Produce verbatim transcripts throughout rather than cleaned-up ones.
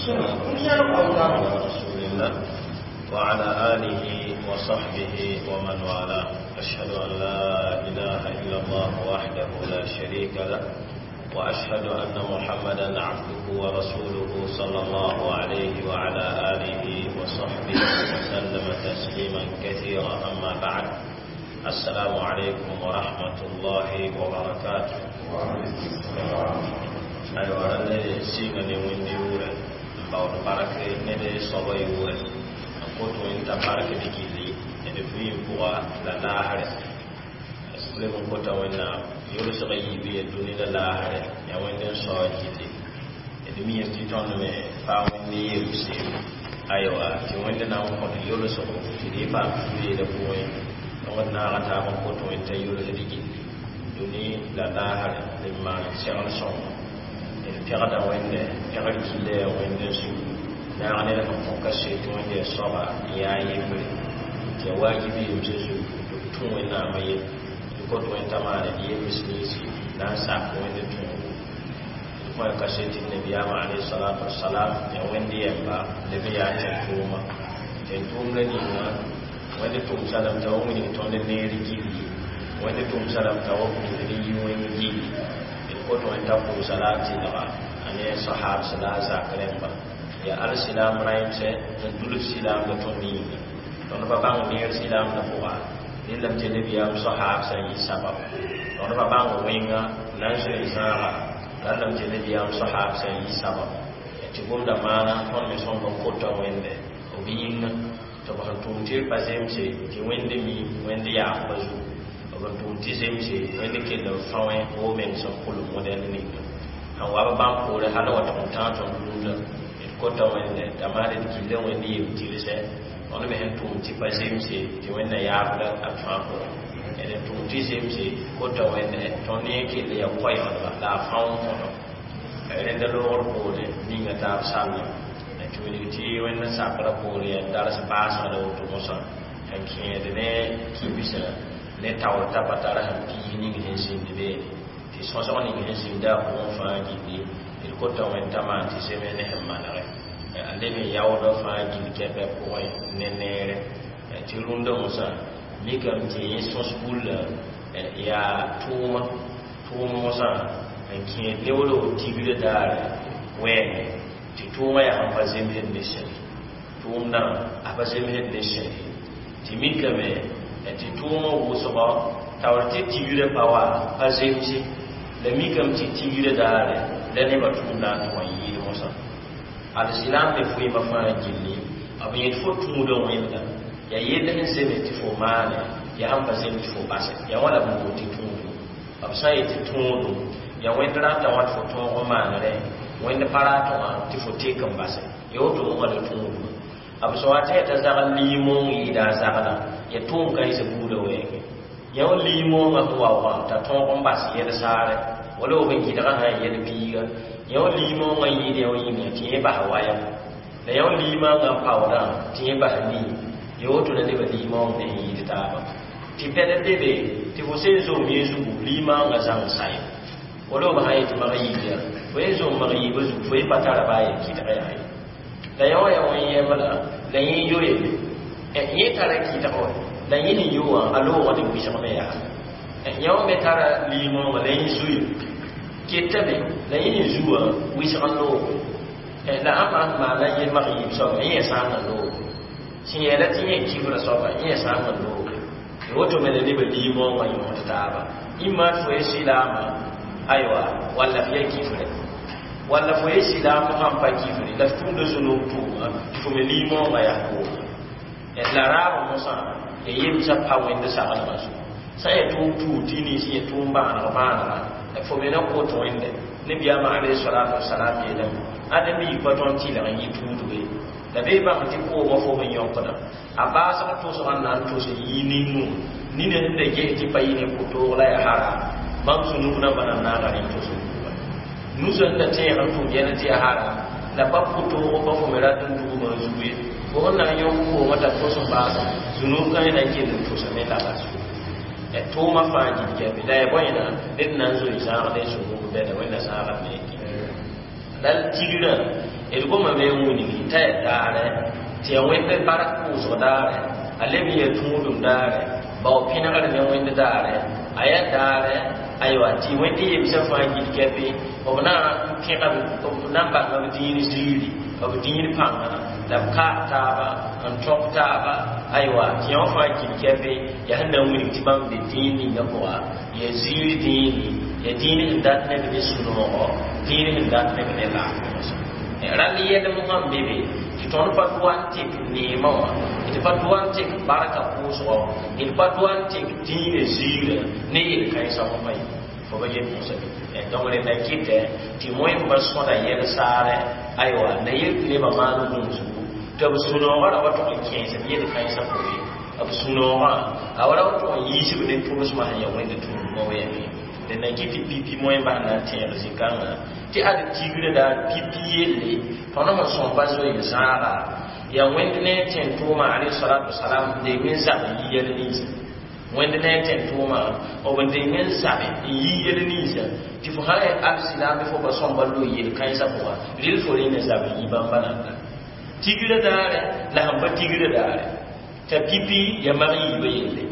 والسلام على رسول الله وعلى آله وصحبه ومن والاه. أشهد أن لا إله إلا الله وحده لا شريك له، وأشهد أن محمدا عبده ورسوله صلى الله عليه وعلى آله وصحبه وسلم تسليما كثيرا. أما بعد، السلام عليكم ورحمة الله وبركاته. Aywa, ne sɩnga ne wẽnd yʋʋrɛ n baood bark ned soabã yʋʋrɛ n kot wẽnd t'a bark d gilli d vɩɩm pʋga la laasrɛ. Leb n kota Wẽnnaam yolsg yiib ya dũni la laasrɛ, yaa wẽnd n sao gilli. D miime tɩ tõnd me paa wẽnd yemse. Aywa, tɩ wẽnd na n kõt yolsgo tɩ d paam fu-yeelã pʋgẽ. Tõnd naaga taab n kot wẽnd t'a yolsd gilli dũni la laasrɛ d maan segl sõngo. D pegda wẽnde pegr gilla yaa wẽnd n su naag ned sẽn kõ kaset. Wẽnd yaa soaba n yaa yembre tɩ yaa wajibi yemsã zugu tɩ b tũ Wẽnnaamã yel. D kot wẽnd t'a maane d yems ninsi na n sak wẽnd tõogo. D kõ ya kaset tɩ nabiyaamã alayhi salatu wasalam yaa wẽnd yɛmba leb n yaa tẽn-tʋʋma tẽn-tʋʋmda ninga. Wẽnd tʋmsa lame t'a wa wilg tõnd neer gilli, wẽnd tʋmsa lame t'a wa pʋʋsd n yi wẽng gilli. D kot wẽnd t'a pʋʋsa la a tɩlga a ne sahabs la a zak rẽmba yaa alsilam rãimsɛ n dulf silaamda tõnd yĩnga. Tõnd pa bãng neer silaamda pʋga rẽndame tɩ nabiyaam sahabsã n yɩ sabab. Tõnd pa bãng wẽnga na n zoe zãaga rãndame tɩ nabiyaam sahabsã n yɩ sabab. Tɩ gomda maana tõnd me sõmb n kota wẽnde b yĩnga tɩ b sẽn tʋm tɩ pa zemse tɩ wẽnd mi wẽnd yaafba zugu, b n tʋm tɩ zemse wẽnd kell n fã wẽ wo meng sẽn pʋlem modɛl ninga sẽn wa b bãmb poore hal wa tʋg n tãag tõnd rũndã. D kota wẽnde t'a maana d gilla wẽnd yem tɩlsɛ. Tõnd me sẽn tʋm tɩ pa zemse tɩ wẽnna yaafda b fãa pʋgẽ. D n tʋm tɩ zemse kota wẽnde tõnd yẽ kell yaa koɛɛgdba la a fão n kõdo rẽnda loogr poore ninga taab sallã tɩ wilg tɩ wẽnd sakrã poore yaa dars baasgda woto mosã sẽn kẽed ne kibsã ne taoor t'a pa tara sẽn piis ning sẽn zĩnd beene tɩ sõsg ning sẽn zĩnda a pʋgẽ fãa gilli. D kota wẽnd t'a maan tɩ zems ne sẽn manegɛ a leb n yaoodã fãa gill kɛpɛ pʋgẽ ne neere. Tɩ rũndã mosã mikame tɩ yẽ sõs bullã yaa tʋʋma tʋʋm mosã n kẽed ne wala tigrã daare wɛɛngẽ tɩ tʋʋmã yaa sẽn pa zemsd ne sẽne tʋʋmdã a pa zemsd ne sẽne. Tɩ mikame tɩ tʋʋmã wʋsgɔ taoor tɩ tigrã pa wa pa zemse la mikame tɩ tigrã daare la nebã tʋʋmdã n tʋg n yɩɩd mosã. Alsilam me vɩɩmã fãa gilli b yẽd fo tũudã wẽnda yaa yell sẽn zems tɩ fo maane, yaa sẽn pa zems tɩ fo basɛ yaa wã la b bool tɩ tũudum. B sã n yet tɩ tõodum yaa wẽnd rata wã tɩ fo tõog n maanrẽ, wẽnd pa ratẽ wã tɩ fo tek n basɛ, ya woto wã la tũudumã. B sã wa tɩ yaa t'a zagl liimoong yɩɩda a zaglã yaa tʋʋm kãensã buudã wɛɛngẽ. Yã wã liimoongã sẽn wa wã t'a tõog n bas yɛl saare wala b n gɩdgã sã n yɛl biiga. Yã wã liimoongã yɩɩd yã wã yĩnga tɩ yẽ bas wayam la yã wã liimãngã n paoodã tɩ yẽ bas nii ya woto la nebã liimoong ne sẽn yɩɩd taaba. Tɩ pɛd n be be tɩ fo sẽn zom yẽ zugu liimãngã zãng sayem wala b sã n yetɩ mag yiib ya fo yẽ zom mag yiibã zugu fo yẽ pa tara baa yen kɩdg yaa ye la yã wã yaa wẽn yɛmbla la yẽ yo yelle yẽ tara kɩdg wa la yẽ sẽn yo wã a loogã ne wɩsg me yaa yã wã me tara liimoongã la yẽ zuye ketame la yẽ sẽn zu wã wɩsg n loogo la ãmba sẽn maana yẽ mag yiib soaba yẽ yaa sãam n loogo sẽn yɛɛla tɩ yẽ kibra soaba yẽ yaa sãam n loogo. Woto me la nebã liimoongã yõod taaba ĩmma tɩ fo ye silaamã aywa walla f ya kifre walla fo ye silaam sãn pa kifre la f tũuda zũnug tʋʋma tɩ fo me liimoongã yaa pʋʋga. La raabã mosã ya yemsã pa wẽnd saglmã zugu sã n yaa tʋʋm tuud tɩ nins yaa tʋʋm bãaneg bãanega fo me na kot wẽnde. Nabiyaamã alayhi salatu wasalam yeelame ade mi pa tõnd tɩlg n yɩ tuudbe la bee bãmb tɩ koomã fo n yõkda a baasg tʋsg n na n tʋs n yɩ nin-nu nina sẽn da ges tɩ pa yɩ ne pʋtoog la yaa haram bãmb zũnug nambã na naaga rẽ tʋs n buga nusã sẽn da tẽeg n tʋm yɛl tɩ yaa haram la pa pʋtoog pa fo me rat n dugmã zugu ye fo sẽn na n yõk koomã t'a tʋs n baas zũnug kã na n kell n tʋsame la bas tʋʋmã fãa gilgame la yaa bõe ned na n zoe zãag ne zũnug bɛda wẽnna zãagame la tigrã d gomame n wilgi t'a yaa daare tɩ yaa wẽnd bark pʋʋsg daare a leb n yaa tũudum daare bao pẽnegr ne wẽnd daare a yaa daare aywa tɩ wẽnd yemsã fãa gil kɛpɩ b na n pẽga b na n bãnga b dĩin ziiri b dĩin pãnga la b kaag taaba n tõk taaba aywa tɩ yã wã fãa gil kɛpɩ yaa sẽn na n wilg tɩ bãmb be dĩin ninga pʋga yaa ziir dĩini yaa dĩin sẽn dat neb ne sũ-noogo dĩin sẽn dat neb ne laafɩ rall yɛlem sãn be be tɩ tõnd pa dʋa n tek neemã wã d pa dʋa n tek barka pʋʋsgɔ d pa dʋa n tek dĩinã ziirã ne yel-kãensã fo pa ye fo ba yet mosã donc rẽnda kɩtɛ tɩ wẽmba sõda yɛl-saarɛ aywa na yel tɩ nebã maan gũusgu tɩ b sũ-noogã ra wa tʋg n kẽesb yel-kãensã pʋgẽ b sũ-noogã a wa ra wa tʋg n yiisb ne tʋlsmã sẽn yaa wẽnd tũudmã wɛɛme rẽnda kɩ tɩ pipi wẽmba sẽn na n tẽeg zĩ-kãngã tɩ ad tigrã daar pipi yelle tõnd sẽn sõm pa zoe n zãaga yaa wẽnd ne a tẽn tʋʋma alayhi salatu wasalam n deng n zab n yi yɛl ninsã wẽnd ne a tẽn tʋʋma b n deng n zabe n yi yɛl ninsã tɩ fo sã yaa alsilaame fo pa sõmba loe yel-kãensã pʋga rɩl fo rẽ ne zab n yi bãmba nanda tigrã daare la sẽn pa tigrã daare t'a pipi yaa mag yiibã yelle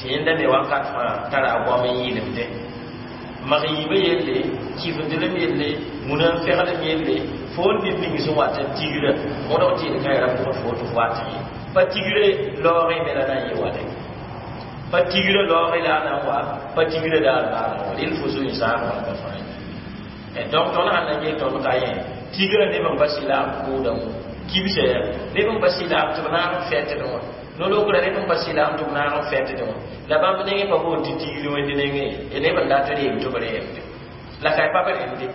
tɩ yẽnda me wakat fãa tara a goam n yɩlemdẽ mag yiibã yelle kɩfndlem yelle muna n feglem yelle fo n ned ning sẽn wat n tigrã mõdg tɩ yel-kãe ra pʋgd fo tɩ f wat ye pa tigrã laoogẽ me la na n yɩ wale pa tigrã laoogẽ la a na n wa pa tigrã daar la a na n wa rel fo zoe n zãag bãmba fãa donc tõnd sãn na n get tõnd ka yẽ tigrã neb n pa sɩlaam pʋʋdã kibsa ya neb n pa sɩlaam tɩ b naag n fɛtdẽ wã no-lokrã neb n pa sɩlaam tɩ b naag n fɛtdẽ wã la bãmb nengẽ pa boond tɩ tigri wẽnd nengẽ ye neb n dat reem tɩ b reemde la ka pa b remde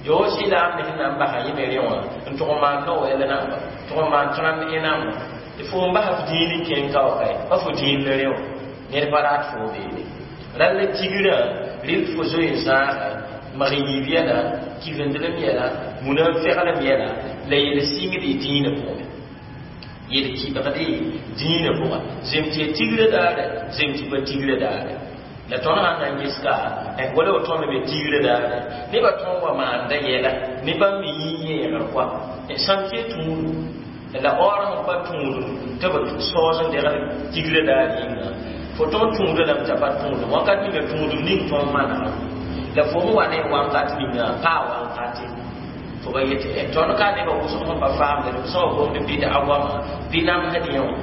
yo sɩlaam ne sẽn na n basa yẽ me rẽ wã n tʋg n maan Noɛl namba tʋg n maan trãmb ẽ namba tɩ fo n basa f dĩin n kẽng ka wa kae pa fo dĩin la rẽ wã ned pa rat fo beene rall tigrã rɩl fo zoe n zãaga mag yiib yɛla kifendlem yɛla muna n feglem yɛla la yel sɩngd y dĩinã pʋgẽ yel kɩbgd dĩinã pʋga zem tɩ ya tigrã daare zem tɩ pa tigrã daare la tõnd sãn na n ges ka wala b tõnd me tigrã daare nebã tõnd wa maanda yɛla ne bãmb me yĩ yẽegr koa sãn tɩ ya tũudu la aoor sẽn pa tũudum tɩ b saoos n degl tigrã daar yĩnga fo tõnd tũudã lame t'a pa tũudum wakat ninga tũudum ning tõnd manegã la fo n wa ne wakat ninga paa wankate fo ba yetɩ tõnd ka nebã wʋsg sẽn pa faamde b sã wa gomd bɩd a goama bɩ namsd yẽ wã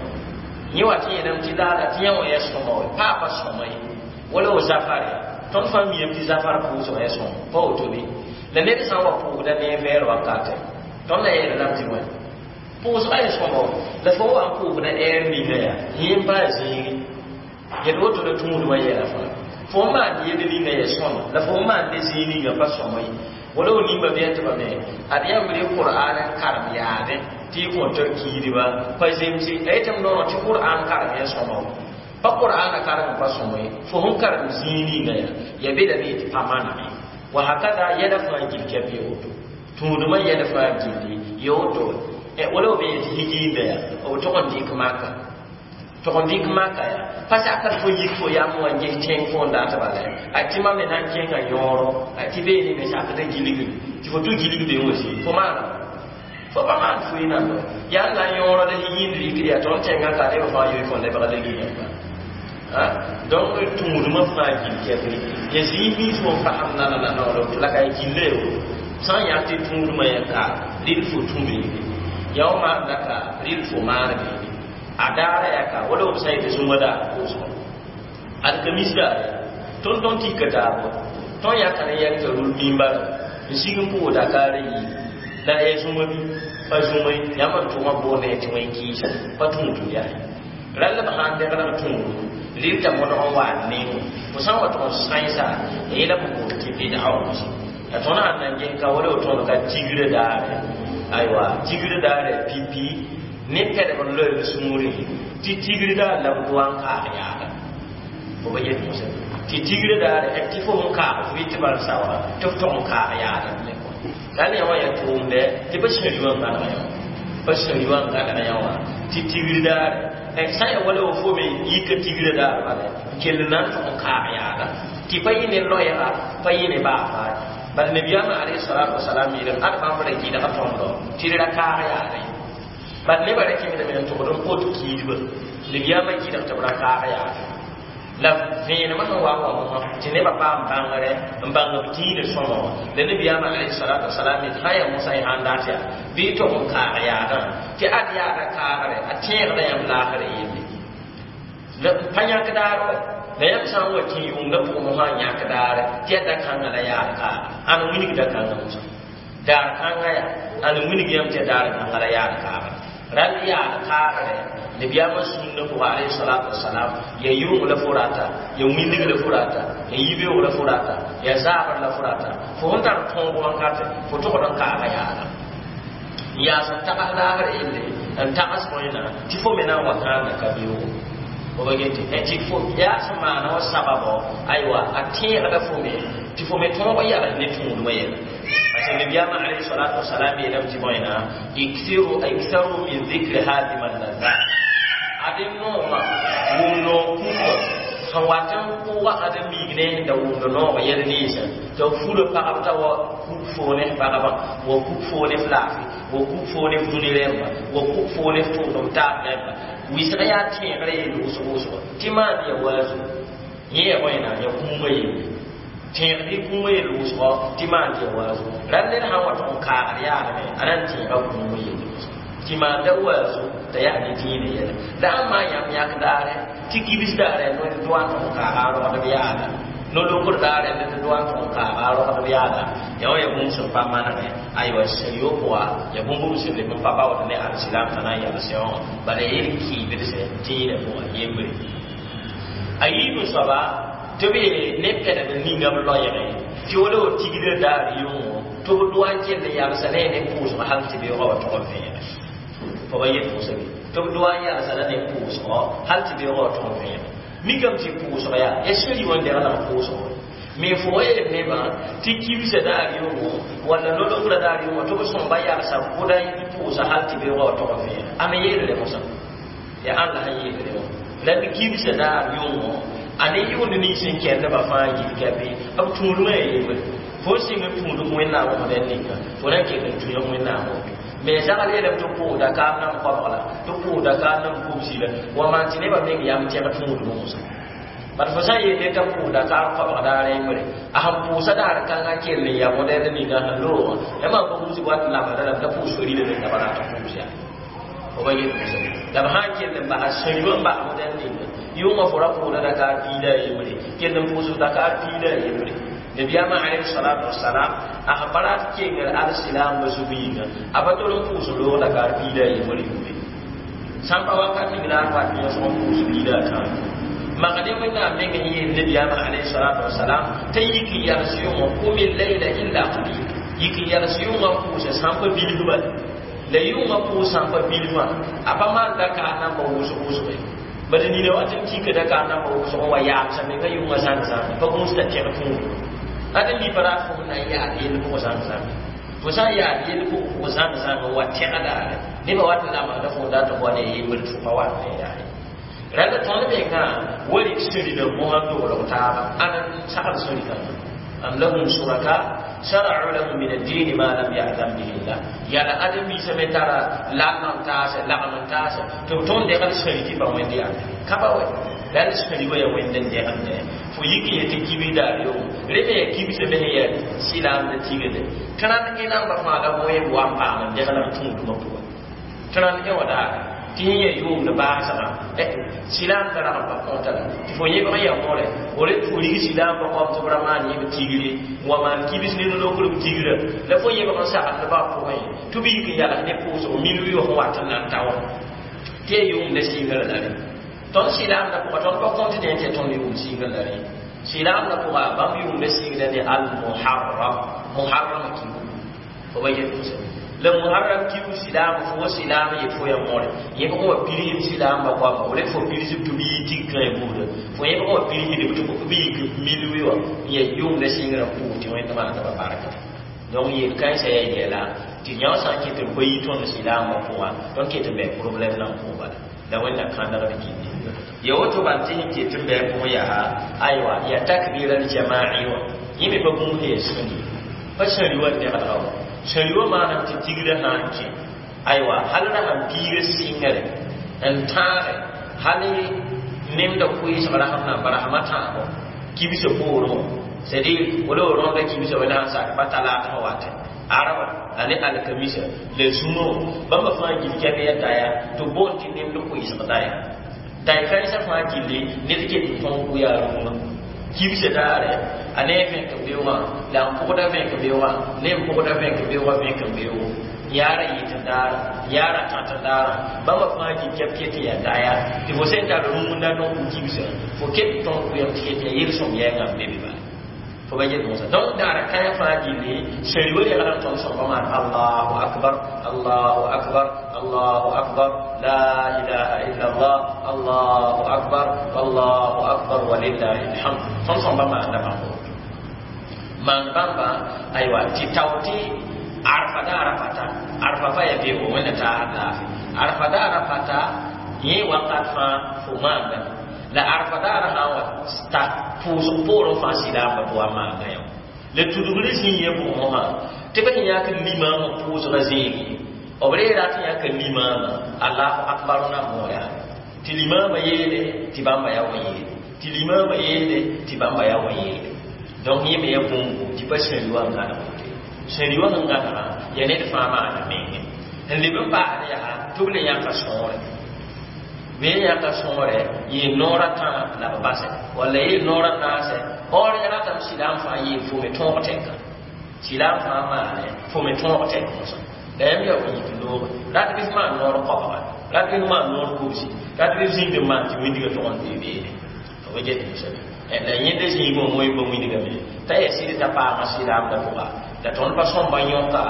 yẽ wa tɩ yeelame tɩ laala tɩ yẽ wã yaa sõma wa paa pa sõma ye wala wo zafare tõnd fãa miame tɩ zafar pʋʋsgã yaa sõma pa woto be la ned sã n wa pʋʋsda ne vɛɛr wakatɛ tõnd na yeela lame tɩ wã pʋʋsgã yaa sõma wa la fo wa n pʋʋsda ɛɛr ninga yaa yẽ n paa zĩigi yel woto la tũudmã yɛla fãa fo n maan yel ninga yaa sõma la fo n maan ne zĩig ninga pa sõma ye wala wo nimba bɩ tɩ ba me ad yãmb rɩ qur'an n karem yaadẽ tɩ y kõn tɩ kiidba pa zemse la yetɩ m noorã tɩ qur'an karem yaa sõma wa pa qur'ana karem pa sõma ye fo sẽn karem zĩig ninga yaa ya belame tɩ pa maneme wa hakada yɛla fãa gil kɛp ye woto tũudmã yɛl fãa gilli ye woto wala b yetɩ higiinda yaa b tʋg n dɩk maka tʋg n dɩk maka yaa pa sakr fo yik fo yam wã n ges tẽng fo n dat bala a tɩ mam me na n kẽnga yõoro a tɩ beene me sakd gilgre tɩ fo tʋ gilgde wã zĩ fo maana fo pa maan fʋɩ nando yaa n na n yõoro la higiind rɩkd yaa tõnd tẽngã ka neb fãa yoe fõ lebg la gilgã donc tũudmã fãa gil kɛpre ya zĩig mins fo n fasem nana tɩ la ka ya gilla ya woto sã n yaa tɩ tũudmã ya ka rɩl fo tũ beene yaa w maanda ka rɩl fo maan beene a daara yaa ka wala b sã n yetɩ zũma daar pʋʋsgɔ ad ka mis daare tõnd tõnd tɩka taab tõnd yãka ne yɛl t'a rul mimbara n sig n pʋʋs dakaarã yiib la ya zũma bɩ pa zũma yãmb n tʋgã boond ya tɩ wẽn kɩɩsa pa tũudum yaa rall b sã n degl b tũudum rɩl t'a modg n wa n neng fo sã n wa tʋg n sãensa yẽla b boond tɩ bɩd'a wã la tõnd sãn na n ges ka wala tõnd ka tigrã daare aywa tigrã daare pipi ne pɛdg n loe b sũurẽ tɩ tigr daar la b dʋa n kaag yaada fo ba yet mosã tɩ tigrã daare tɩ fo sẽn kaag fo yetɩ bal saoora tɩ f tʋg n kaag yaada ne la ne wã yaa tʋʋmdɛ tɩ pa sẽri wã n gãnega yã pa sẽri wã n gãnega yã wã tɩ tigr daare sã n yaa wala fo me yika tigrã daar bala n kell na n tʋg n kaag yaada tɩ pa yɩ ne loɛɛga pa yɩ ne baa faa Bal nabiyama alayhi salatu wasalam yeelame ad bãmb ra gɩdga tõndo tɩ d ra kaag yaada ye. Bal nebã ra kẽngdame n togd n kot kiidba nabiyama gɩdg tɩ b ra kaag yaada la vẽenemã sẽn wa n wa mosã tɩ nebã paam bãngre n bãng b dĩinã sõma wã la nabiyaamã alayhi salatu wasalam yet sã n yaa mosã y sãn dat yaa bɩ y tog n kaag yaadã tɩ ad yaada kaagre a tẽegda yãmb laasrã yelle la pa yãk daar wa la yãmb sã n wa kẽ yʋngdã pʋgẽ mosã n yãk daare tɩ yaa da-kãngã la yaad kaaga ãn wilg da-kãngã mosã daar kãngã yaa ãn wilg yãmb tɩ yaa daar kãngã la yaad kaaga rãnd yaad kaagre nabiyaamã sũnna pʋga alayhi salatu wasalam ya yʋng la fo rata ya wilg la fo rata ya yibeoog la fo rata ya zaabr la fo rata fo sẽn tar tõog wakate fo togd n kaaga yaada n yaas n tags laasr yelle n tags bõena tɩ fo me na n wa kãanda ka beoogo fo ba get tɩ fo yaa sẽn maana wa sababo aywa a tẽegda fo me tɩ fo me tõog yals ne tũudmã yɛla parce que nabiyaamã alayhi salatu wasalam yeelame tɩ bõena ikthiru iktharu min dhikri hadima llazat adem noogã wʋm noog kũmba sẽn wat n pʋʋga ad n miig ne da wʋmd noog yɛl ninsã tɩ b fura pagb t'a wa kuk foo ne f pagba wa kuk foo ne f laafɩ wa kuk foo ne f dũni rẽmba wa kuk foo ne f tʋʋdem taab rẽmba wɩsg yaa tẽegrã yel wʋsg wʋsgo tɩ maan ya waazo yẽ ya bõena ya kũumã yelle tẽegd y kũumã yel wʋsgɔ tɩ maan ya waazo rãnd ned sã n wa tʋg n kaagd yaadme a na n tẽega kũumã yelle wʋsgo tɩ maan da waazo t'a yaa ne dĩinã yɛla la ãn maan yãmb yãk daare tɩ kibs daare no doa n tʋg n kaaga a rogdb yaada no-lokr daare ne doa n tʋg n kaaga a rogdb yaada ya wã ya bũmb sẽn pa manegẽ aywa sẽn-yo pʋga ya bũmb b sẽn leb n pa baood ne alsilam t'a na n yals yã wã bala yel kiibdse dĩinã pʋga yembre a yiib soaba tɩ b ne pɛdg ninga b loɛɛgẽ tɩ wala wa tigdr daar yʋngo tɩ b doa n kell n yalsa ne ne pʋʋsg hal tɩ beoogã wa tʋg n vẽege fo ba yet pʋʋsga tɩ b doa n yalsa la ne pʋʋsgɔ hal tɩ beoogã wa tʋg n vẽege mikame tɩ pʋʋsg yaa ya sẽri wã n degl n pʋʋsgo me fo wa yeel nebã tɩ kibsã daar yʋngo walla no-logrã daar yʋngo tɩ b sõmba yalsa bʋda n pʋʋsa hal tɩ beoogã wa tʋg n vẽege a me yeelre mosã yaa ãn la sẽn yeelre wã la d kibsã daar yʋngo a ne yʋʋnd nins n kɛndbã fãa yil ka be b tũudmã ya yembre fo n sɩng n tũudg wẽnnaam wʋsd ninga fo na n ket n tũyg wẽnnaam woto me zagal yeelame tɩ pʋʋs dakaam nam koabg la tɩ pʋʋs dakaam nam kubsi la wa maan tɩ nebã meng yam tẽg tũudmã mosã bad fo sã n yeel t'a pʋʋs dakaar koabg daar yembre a sẽn pʋʋsa daar kãngã kell n ya modɛl ninga sẽn loogã ya maan pa wusg wat n lamsda lame t'a pʋʋs farila menga ba rat n pʋʋs yaa fo ba yet mosã la b sã n kell n basa sẽn-yʋ n bas modɛl ninga yʋngã fo ra pʋʋda dakaar piida a yembre kell n pʋʋsd dakaar piida a yembre nabiyaamã alayhi salatu wasalam a sẽn pa rat kengr alsilaambã zug yĩnga a pa tol n pʋʋs loog dakaar piida a yembre yʋme sãn pa wakat ning la n wat yõsg n pʋʋs piida a tãab magde wẽnnaam meng sẽn yeel nabiyaamã alayhi salatu wasalam t'a yik n yals yʋngã qum layla illa qalil yik n yals yʋngã n pʋʋsa sãn pa bilf bala la yʋngã pʋʋs sãn pa bilfã a pa maan dakaar namba wʋsg wʋsge bad nina wat n kika dakaar namba wʋsg n wa yaamsa menga yʋngã zãng-zãng pa gũus t'a tẽg tũud ad mi pa rat fo na n yaad yell pʋgã zãng-zãng fo sã n yaad yell pʋgã zãng-zãng n wa tẽga daare nebã wat n lamsda fo dat n wa ne yembr tɩ fo pa wat ne yaa rãnd tõnd mengã wa rɩk sẽri na mosã n toglg taaba ãn n sagl sẽri kãngã am lahum suraka shara'u lahum min ad-din ma lam ya'zan bihi Allah yala adem biisa me tara lagm n taase lagm n taase tɩ b tõnd degl sẽri tɩ pa wẽnd yaa ka pa wɛ la d sẽri wa ya wẽnd n degende fo yik n yetɩ kibs daar yʋng re me yaa kibsã me sẽn yaa silaamd tigde tẽrãnd ẽ namba fãa la moe wa n paam n degl n tũudmã pʋgẽ tẽrãnd ẽ wã daare tɩ yẽ yaa yʋʋmd baasgã silaamdã rag n pa kõta la tɩ fo yẽbg n yaa mõre fo ret fo rig silaambã goam tɩ b ra maan yẽb tigre n wa maan kibs ne no-lokr b tigrã la fo yẽbg n sagendbã pʋgẽ tɩ b yik n yals ne pʋʋsg mil wɩʋg sẽn wat n na n ta wã tɩ yaa yʋʋmda sɩngrã la rẽ tõnd silaamdã pʋga tõnd pa kõt dẽ tɩ tõnd yʋʋm sɩngrã la rẽ silaamdã pʋga bãmb yʋʋmda sɩngrã ne al-muharram muharram kiu fo ba yet pʋsẽ la muharram kiu silaam fo wa silaam yet fo ya mõre yẽbg wa pirsb silaambã goama f ret fo pirsb tɩ b yi tig kãe buuda fo yẽbg wa pirsdb tɩ b yik mil wɩ wã n yaa yʋʋmda sɩngrã pʋʋs tɩ wẽnd maanda ba barka donc yel kãensã yaa yɛla tɩ yã sã n ket n pa yi tõnd silaambã pʋga tõnd ket n bɩ problème nan pʋg bala la wẽnna kãndgd gilli ya woto ban tɩ sẽn ket n bɩ pʋgẽ yaa aywa ya takbir al-jama'i wã yẽ me pa bũmb sẽn yaa sũni Pa sãri wa dẽgdga wa sãri wa maanam tɩ tigrã sã n kẽ aywa hal ra sãn piiga sɩngre n tãage hal nemda koeesg rasem na n pa rasmã tãabo kibsã poorẽ wã c'est à dire wala rõnda kibsã wẽnd sãn sak pa talaatã watɛ araba ane alkamisa la zũmã wã bãmba fãa gil kɛb ya daya tɩ boond tɩ nemd koeesg daya day kãensã fãa gilli ned ket n tõog kʋ yaa rũngã kibsã daare a ne a vẽk beoogã la n pʋgda vẽk beoogã ne n pʋgda vẽk beoogã vẽk beoogo yaara yɩt n daara yaara tãt n daara bãmba fãa gil kɛb ket n yaa daya tɩ fo sẽn tar rũngda tõog kʋ kibsã fo ket n tõog kʋyam tɩ ket yaa yel-sõm yɛɛngã n be be bala fo ba get mosa donc daara kãyã fãa gilli sãri wa reglã tõnd sõmba maan allahu akbar allahu akbar allahu akbar la ilaha illa allah allahu akbar allahu akbar walillahi alhamd tõnd sõmba maanda bãmb maan bãmba aywa tɩ tao tɩ arfa daara pata arfa pa ya beoogo wẽnna taasd laafɩ arfa daara pata yẽ wakat fãa fo maandame la arfa daara sã n wa ta pʋʋsg poorẽ fãa sɩlaamba tɩ wa maanda yã la tudgr zĩ yẽ pʋgẽ wã tɩ b sẽn yãk limaamã pʋʋsgã zẽeg ye b reera tɩ yãka limaamã allahu akbar na moor yaa tɩ limaamã yeele tɩ bãmba ya wa yeele tɩ limaamã yeele tɩ bãmba ya wa yeele donc yẽ me ya bũmbu tɩ pa sẽri wa n gãneg woto sẽri wa sẽn gãnegã ya ned fãa maana menge n leb n paasd yaa tɩ b le yãka sõore bɩ yãka sõore yɩ noorã tã la b basɛ walla yɩ noorã naasɛ or ya ratame sɩlaam fãa yeel fo me tõog tɛka sɩlaam fãa maane fo me tõog tɛk mosã la yãmb yaa wa yik looge rat bɩ f maan noor koabga rat bɩ f maan noor kobsi rat bɩ f zĩnd n maan tɩ wĩndgã tʋg n dee beene fo ba get mosã la yẽnda zĩigẽ wã moe ba wĩndgame t'a yaa sɩd t'a paama sɩlaamda pʋga la tõnd pa sõmba yõka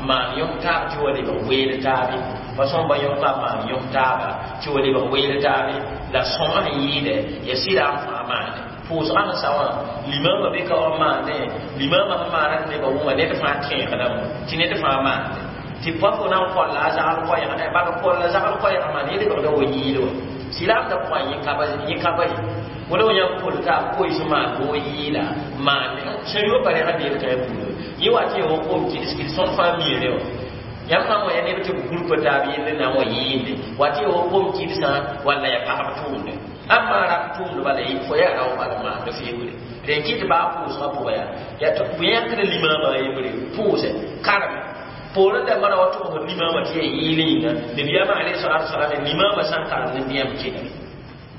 maan yõk taab tɩ wa lebg weel taabe pa sõmba yõka maan yõk taaba tɩ wa lebg weel taabe la sõma sẽn yɩɩdɛ ya sɩlaam fãa maane pʋʋsgã sẽn sa wã limaamã be ka wa maane limaamã sẽn maana tɩ nebã wʋma ned fãa tẽegdame tɩ ned fãa maande tɩ pa fo na n kolla a zagl koɛɛgã bala kolla zagl koɛɛgã maan yẽ lebgda wa yɩɩl wa sɩlaamda pʋgã yẽ ka ye wala wa yãmb pol t'a koees maan bɩ wa yɩɩla maan sẽn yo pa rega deel kã buudã yẽ wa tɩ yẽ wa kom kɩds kɩds tõnd fãa miere wã yãmb sã n wa ya neb tɩ b gũrpa taab yell na n wa yɩɩnde wa tɩ yẽ wa kom kɩdsã walla ya pagb tʋʋmde ãmb maa rap tʋʋmd bala fo yaa rao bala maand feoore rẽ kɩt baa pʋʋsgã pʋgã yaa yaa tɩ bõe yãkd limaamã a yembre pʋʋsɛ karme poorẽ dãmbã ra wa tʋgsd limaamã tɩ yaa yɩɩl yĩnga nabiyaamã alayhi salatu wasalam limaamã sã n karem ne yãmb kelg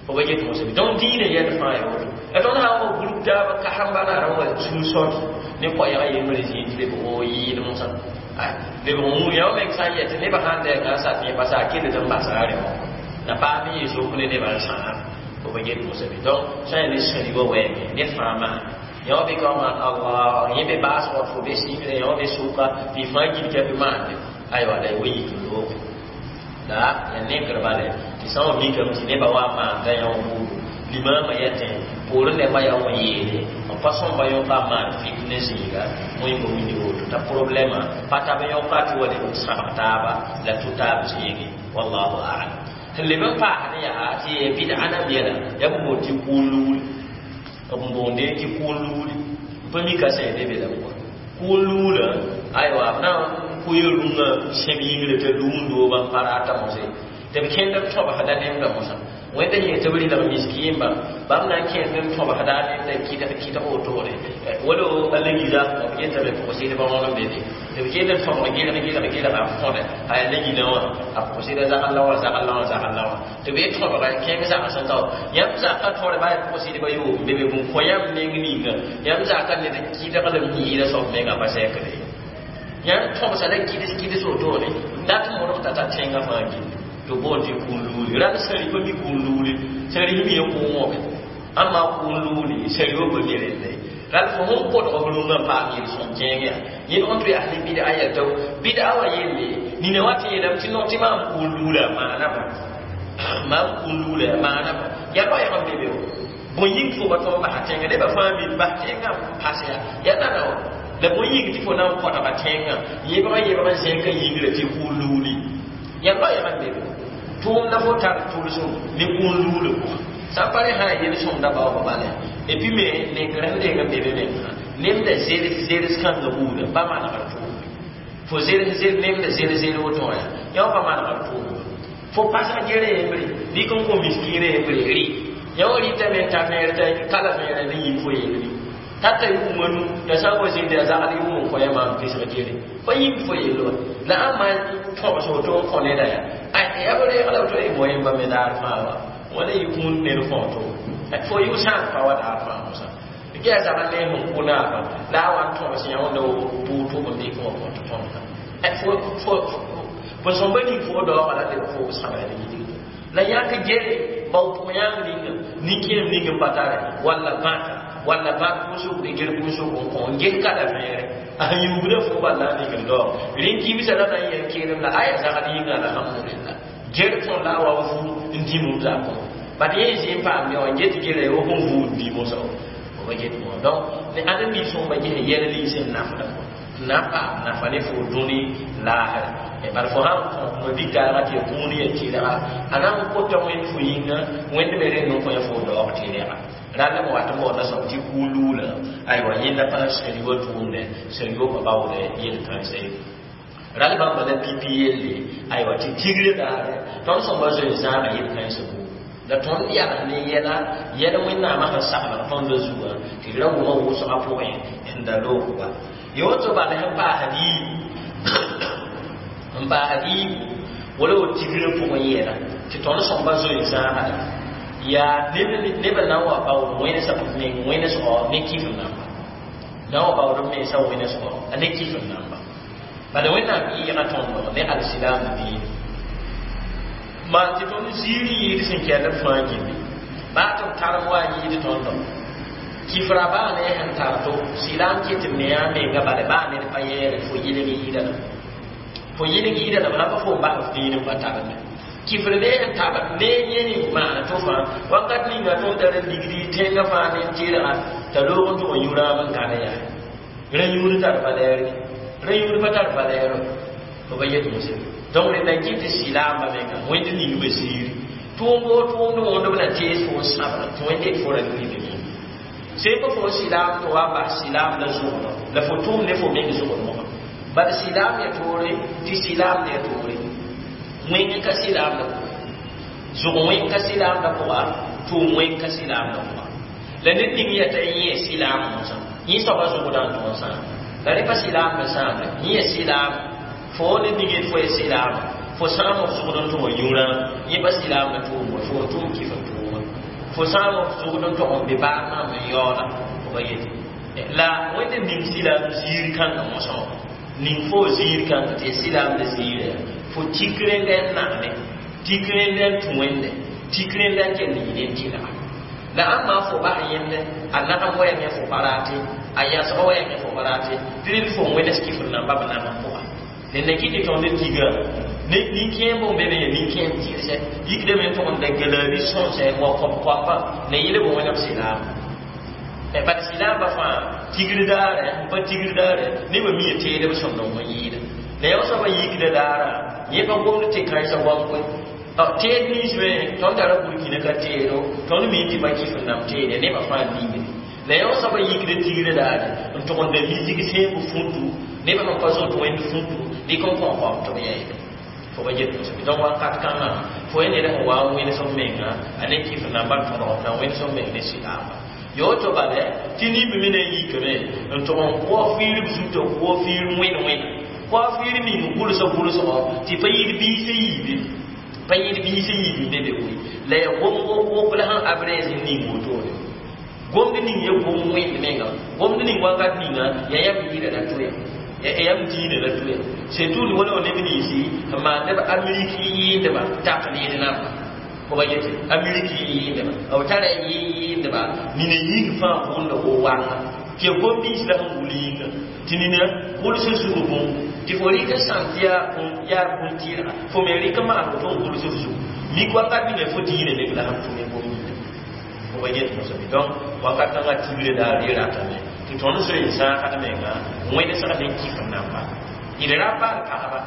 fo ba get mosã donc diinã yɛl fãa ya woto la tõnd sã n wa group taaba kasamba naara wa sũ-sɔt ne koɛɛgã yembre zĩig tɩ lebg o yɩɩl mosã lebg wũ yã meng sã n yɛ tɩ nebã sãn dɛɛngã n sat yẽ basa a kell n basa a rẽ wã na paam yɩ zok ne nebã n sãam fo ba get mosã be donc sã n ya ne sẽri wa wɛɛngẽ ned fãa maane yã wã be ka wa maan allah yẽ be baasgã fo be sɩngre yã wã be sʋka tɩ y fãa gil kɛp maande aywa la y wa yik looge la ya nekr bale tɩ sã n wa mikame tɩ nebã wa maanda yã wã buudu limaamã yetẽ poorẽ dãmbã yaa wã yeele n pa sõmba yõka n maan fik ne zĩiga wẽnga wĩndg woto t'a problɛmã pa tab yõka tɩ wa leb n sãbg taaba la tʋ taab zĩige wallahu alam sẽn leb n paasd yaa tɩ ya bɩd'a nam yɛla yaa b boond tɩ kʋʋn luuli b boonde tɩ kʋʋn luuli n pa mika sẽn be be la pʋga kʋʋn luulã aywa b na n kʋɩ rũngã sẽb yĩngre t'a luum-dooba n pa rata mosẽ tɩ b kẽnd b tõbsda nemda mosã wẽnda yẽ tɩ b rɩlg miskiimba bãmb na n kẽnd n tõbsda nemda kɩdg kɩdg wotone wala a legiza b yetame pʋgsɩdbã wãn n be be tɩ b kẽnd n tõbg gɩlg gɩlg gɩlga b tõde a yaa legilã wã a pʋgsɩda zagl la wã zagl la wã zagl la wã tɩ b ye tõbga kẽng zagsẽ tao yãmb zaka tõre baa yaa pʋgsɩdbã yoom be be bũn kõ yãmb meng ninga yãmb zaka ned n kɩdgd m yɩɩda soab menga pa sɛkde yãmb tõbsa la kɩds kɩds wotone dat modg t'a ta tẽngã fãa gilli tɩ boond tɩ kũun luuli rãnd sãri pa mi kũun luuli sãri mi ya kʋʋngõme ãmba kũun luuli sãri wa pa mi relle rãnd fo sẽn kodg f rũngã n paam yel-sõm kẽeng yaa yẽd õnd tɩ yaa ne bɩd'a yɛl tɩ bɩd'a wã yelle nina wa tɩ yeelame tɩ no tɩ maam kũun luula maana bã maam kũun luula maana bã yaa loɛɛg n be be wã bõe yĩng fo ba tõnd basa tẽngã nebã fãa mi bas tẽngã n pas yaa yaa nana wã la bõe yĩng tɩ fo na n kõdga tẽngã yebg yebg n zẽka yĩngrã tɩ kũun luuli yaa loɛɛg n be be tʋʋmda fo tar tʋlsem ne kũun luulã pʋgã sã n pa rẽ sã n yel-sõmda baoobã bala et puis me nekr sẽn deeg n be be mengã nemda zeres zeres kãngã buudã pa manegr tʋʋmbe fo zeres zer nemda zer zer woto wã yã pa manegr tʋʋmbe fo pasg gere yembre dɩk n kõ miskiinã yembre rɩ yã wã rɩtame n ta vẽer t'a kala vẽera ne yĩng fo yelme tata yʋʋma nu t'a sã n wa zĩnd yaa zagd yʋʋm n kõ yã maam pesg gere pa yĩng fo yell wa la ãmb maan tõgs woto n kõ neda yaa yaa b reeg la woto y moyẽmba me daar fãa wa wala yɩ kũun ned fõ to fo yʋ sãn pa wa daar fãa mosã ge yaa zagd ne sẽn kʋ naaba la a wa n tõgs yã wẽnda bʋʋg tʋg n dɩk wã kõt tõmda fo fo fo sõmba ning fo daooga la leb fo sãbra ne yidgda la yãk gere bao pʋg yãng ninga nin-kẽem ning n pa tare walla bãta walla bãt pʋʋsg bɩ ger pʋʋsg n kõ n ges kala vẽere a sẽn yugda fo bala n ning n daoog rẽn kibsã la na n yɛl keelem la aya zagd yĩnga alhamdulillah ger tõn la a wa n vuu n dĩm b zakõ bad yẽ zĩ n paam ne wã n get gere wo sẽn vuu n dĩm sao ba get mo donc ne ãdem bi sõmba ges yɛl nins n nafda fo na n paam nafa ne fo dũni laasre bala fo sãn kõ ma bi-kaaga tɩ ya kũun ya tɩrga a na n kota wẽnd fo yĩnga wẽnd me reng n kõ ya fo daoog tɩrga rall b wat n baoonda soab tɩ kuu-luulã aywa yẽnda paas sẽn-yoa tʋʋmdɛ sẽn-yopa baoodɛ yel-kãensa ye rall bãmba la pipi yelle aywa tɩ tigre daare tõnd sõmba zoe zãaga yel-kãensã buud la tõnd yals ne yɛla yɛl wẽnnaamã sẽn saglg tõndã zugã tɩ d ra wʋma wʋsgã pʋgẽ n da loog ba ya woto bala sẽn paasd yiibu n paasd yiibu wala wo tigrã pʋgẽ yɛla tɩ tõnd sõmba zoe zãagda yaa neb n na n wa baood wẽnesg meng wẽnesgo ne kifr namba na n wa baood b mensã wẽnesgo a ne kifr namba bala wẽnnaam yɩɩga tõndo ne alsilam diine maan tɩ tõnd ziir yɩɩd sẽn kɛl b fãa gilli baa tɩ b tarem wa n yɩɩd tõndo kifra baa ne sẽn tar to silam ket n me yaa menga bala baa ned pa yɛɛre fo yɩlg yɩɩda lame fo yɩlg yɩɩda lame sã pa fo n bas f diin n pa tarme kifr ne sẽn tab ne yẽ maana to fãa wakat ninga tõnd tar n ligdi tẽngã fãa ne n tɩrga t'a loog n tʋg n yũ raam n gãne yaa rã yũud tar valɛɛr rã yũud pa tar valɛɛr fo ba yet mosã donc rẽnda n kɩt tɩ silaambã menga wẽnd ning b ziiri tʋʋmbo tʋʋmd wõnd b na tees fo n sãbra tɩ wẽnd det fo ra lʋɩ me sẽn pa fo silaam tɩ wa n bas silaam la zʋgdɔ la fo tʋʋm ne fo meng zʋgdmgã bad silaam ya toore tɩ silaam ya toore wẽng ka silaam la pʋga zʋg wẽng ka silaam la pʋga tʋʋm wẽng ka silaam la pʋga la ned ning yata yẽ silaam mosã yẽ soaba zʋgdã n tõog sãam la rẽ pa silaam me sãamde yẽ silaam fo ned ning yet fo ya silaam fo sãam f zʋgd n tʋg n yũrã yẽ pa silaam la tʋʋm wa fo n tʋʋm kɩf n tʋʋma fo sãam f zʋgd n tʋg n be baag maam n yaooda fo ba yete la wẽnd ning silaam ziir kãngã mosã wã ning fo ziir kãngã tɩ ya silaam la ziira fo tik rẽndɛ n nagme tik rẽndɛ n tũ wẽnde tik rẽndɛ n kell yɩ ne tɩlga la ãmba fo bas yẽmde a nagam wɛɛngẽ fo pa raate a yãsg wɛɛngẽ fo pa raate tɩ rẽnd fo wẽnes kifr namba b nag n pʋga nenda kɩ tɩ tõnd tiga ne nin-kẽem bõn be me ya nin-kẽem tɩrsɛ yikdame n tʋg n da galabi sõnsɛ wa kõb-koapa la yɩl b wẽneb silaam bad silaambã fãa tigr daare n pa tigr daare nebã mi teed b sõmd n yɩɩda la yã soabã yikda daara yẽ pa gomd tɩ kãensã goam koe teed nins me tõnd tara burkina ka teedo tõnd mi tɩ pa kifr nam teede nebã fãa mimde la yã soabã yikda tigrã daare n tʋg n da misg sẽeb fũtu nebã sẽn pa zoet wẽnd fũtu dɩk n kõ koam tɩ b yɛɛda fo ba get mosame donc wakat kãngã fo yẽ ned sẽn wa n wẽnes b menga a ne kifr namba n tõdg b na wẽnes b meng ne silaamba yoto bale tɩ nimb me na n yikame n tʋg n kʋa fiir b zutã kʋa fiir wẽn wẽna kʋa fiir ning gʋlsg gʋlsgɔ tɩ pa yɩɩd biisã yiibe pa yɩɩd biisã yiib n be be koe la ya gomgo wok la sẽn abrɛɛs n ning wotone gomd ning ya gom wẽnd menga gomd ning wakat ninga ya yam yɩɩda la toya ya yam diinã la toya surtout wala neb ninsi n maan neb amerik yɩɩndba taqlid namba fo ba yetɩ amerik yɩɩndba b tara yɩɩndba nina yĩng fãa gʋʋnda wo wanga tɩ ya gom nins la sẽn gʋl yĩnga tɩ nina gʋls n zug bũmb tɩ fo rɩk n sãn tɩ yaa bũmb tɩɩlga fo me rɩk n maan woto n gʋls f zugu mik wakat ninga fo diinã neb la sẽn tʋme gom yĩnga fo ba yet mosame donc wakat kãngã tigre daar re ratame tɩ tõnd zoe n zãagd menga wẽnesg ne kifr namba d ra baal pagba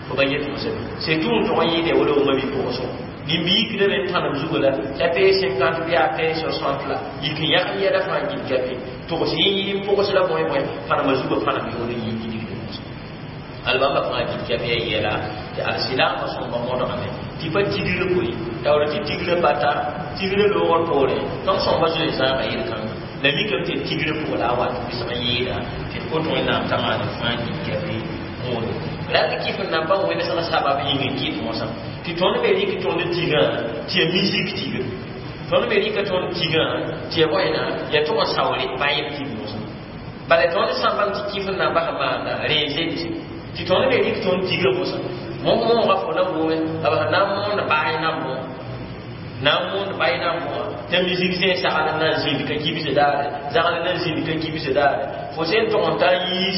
fo ba yet mosame surtout n tʋg n yɩɩde wala wʋma bi pʋgsgo Nimbi-yikdã me tãnem zugu la t'a pee cinquante bɩ a pee soixante la yik n yãg yɛla fãa gilgape togs yẽ n pʋgs la bõe bõe pãnema zugã pãnem yoor n yɩ gilgd mosã albãmba fãa gilgape ya yɛla tɩ alsilaamã sõmba modgame tɩ pa tigr koe taoor tɩ tigrã bata tigrã loogr poorẽ tõnd sõmba zoe zãaga yel-kãnga la mikame tɩ tigrã pʋgã la a wat wɩsg n yɩɩda tɩ d kot wẽnnaam t'a maan fãa gilgape wõodo la d kɩf n namba wẽnesg sabab yĩng n kɩt mosã tɩ tõnd me rɩk tõnd tigã tɩ ya misik tigr tõnd me rɩka tõnd tigã tɩ ya bõena ya tʋg n saoore bayb tig mosã bala tõnd sãmbame tɩ kɩf n namba sẽn maanda reen zemse tɩ tõnd me rɩk tõnd tigã mosã moog-mooga fo na gome b sẽn na n moond baay nan bõa na n moond bay nan bõa t'a misik sẽn sagl n na n zĩnd ka kibse daare zagl n na n zĩnd ka kibse daare fo sẽn tʋg n ta n yiis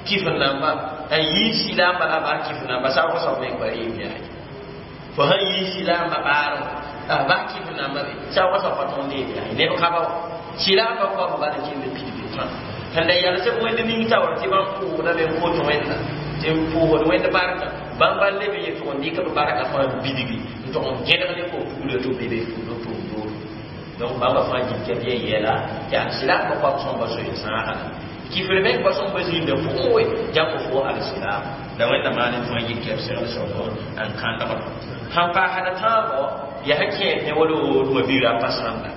kɩf n namba n yiis silaamba la baa kɩf namba saoog soab meng pa reem yaa fo sãn yiis silaamba baarẽ baa kɩf namba be saoog soab pa tõnd reem yaa neb ka ba wa silaamba koab bala kell pidbe fãa sẽn da yalsb wẽnd ning taoor tɩ bãmb pʋʋgdame n kot wẽnda tɩ n pʋʋgd wẽnd barka bãmb bal leb n yetʋg n dɩk b barka fãa n bidgi n tʋg n gẽdg ne fo fuglã tɩ b be be fuglã tʋʋm dooro donc bãmba fãa gilka bɩ yɛla tɩ alsilaamba koab sõmba zoe zãaga la kifr meng pa sõmba zĩnda pʋgẽ we jãmb fo alsilaam la wẽnda maan n fãa yik b segl soabo n kãndgd sãn paasd tãabo yaa sẽn kẽed ne wala wodmã bira pa sãnda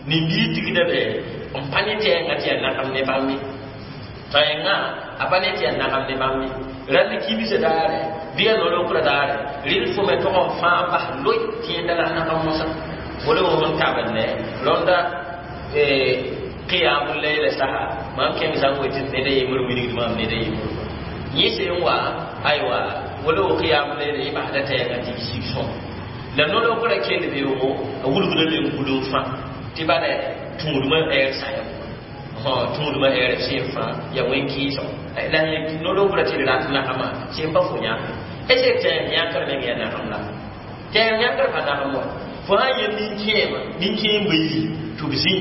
nin-bii tigda be n pa ne tɛɛngã tɩ yaa nagam ne bãmb ye tãengã a pa ne tɩ yaa nagam ne bãmb ye rãnd kibsã daare bɩ yaa no-lokrã daare rɩl fo me tʋg n fãa bas loe tɩ yẽnda la nagam mosã wala wo sẽn tabende rõnda qiyamul layla saha mam kẽng zãng we tɩ ned a yembr wilgd maam ned a yembr yẽ sẽn wa aywa wala wo qiyamul layla yẽ basda tɛɛngã tɩ sig sõm la no-lokrã kell beoogo a wulgda me n gul n fã tɩ bala tũudmã ɛɛr saya tũudmã ɛɛr sẽn fãa ya wẽn-kɩɩsg la no-lokrã tɩ d rat nagamã sẽn pa fo yãk est tɛɛng yãkr meng yaa nagam la tɛɛng yãkr pa nagam wa fo sã n yel nin-kẽema nin-kẽem ba yi tɩ b zĩ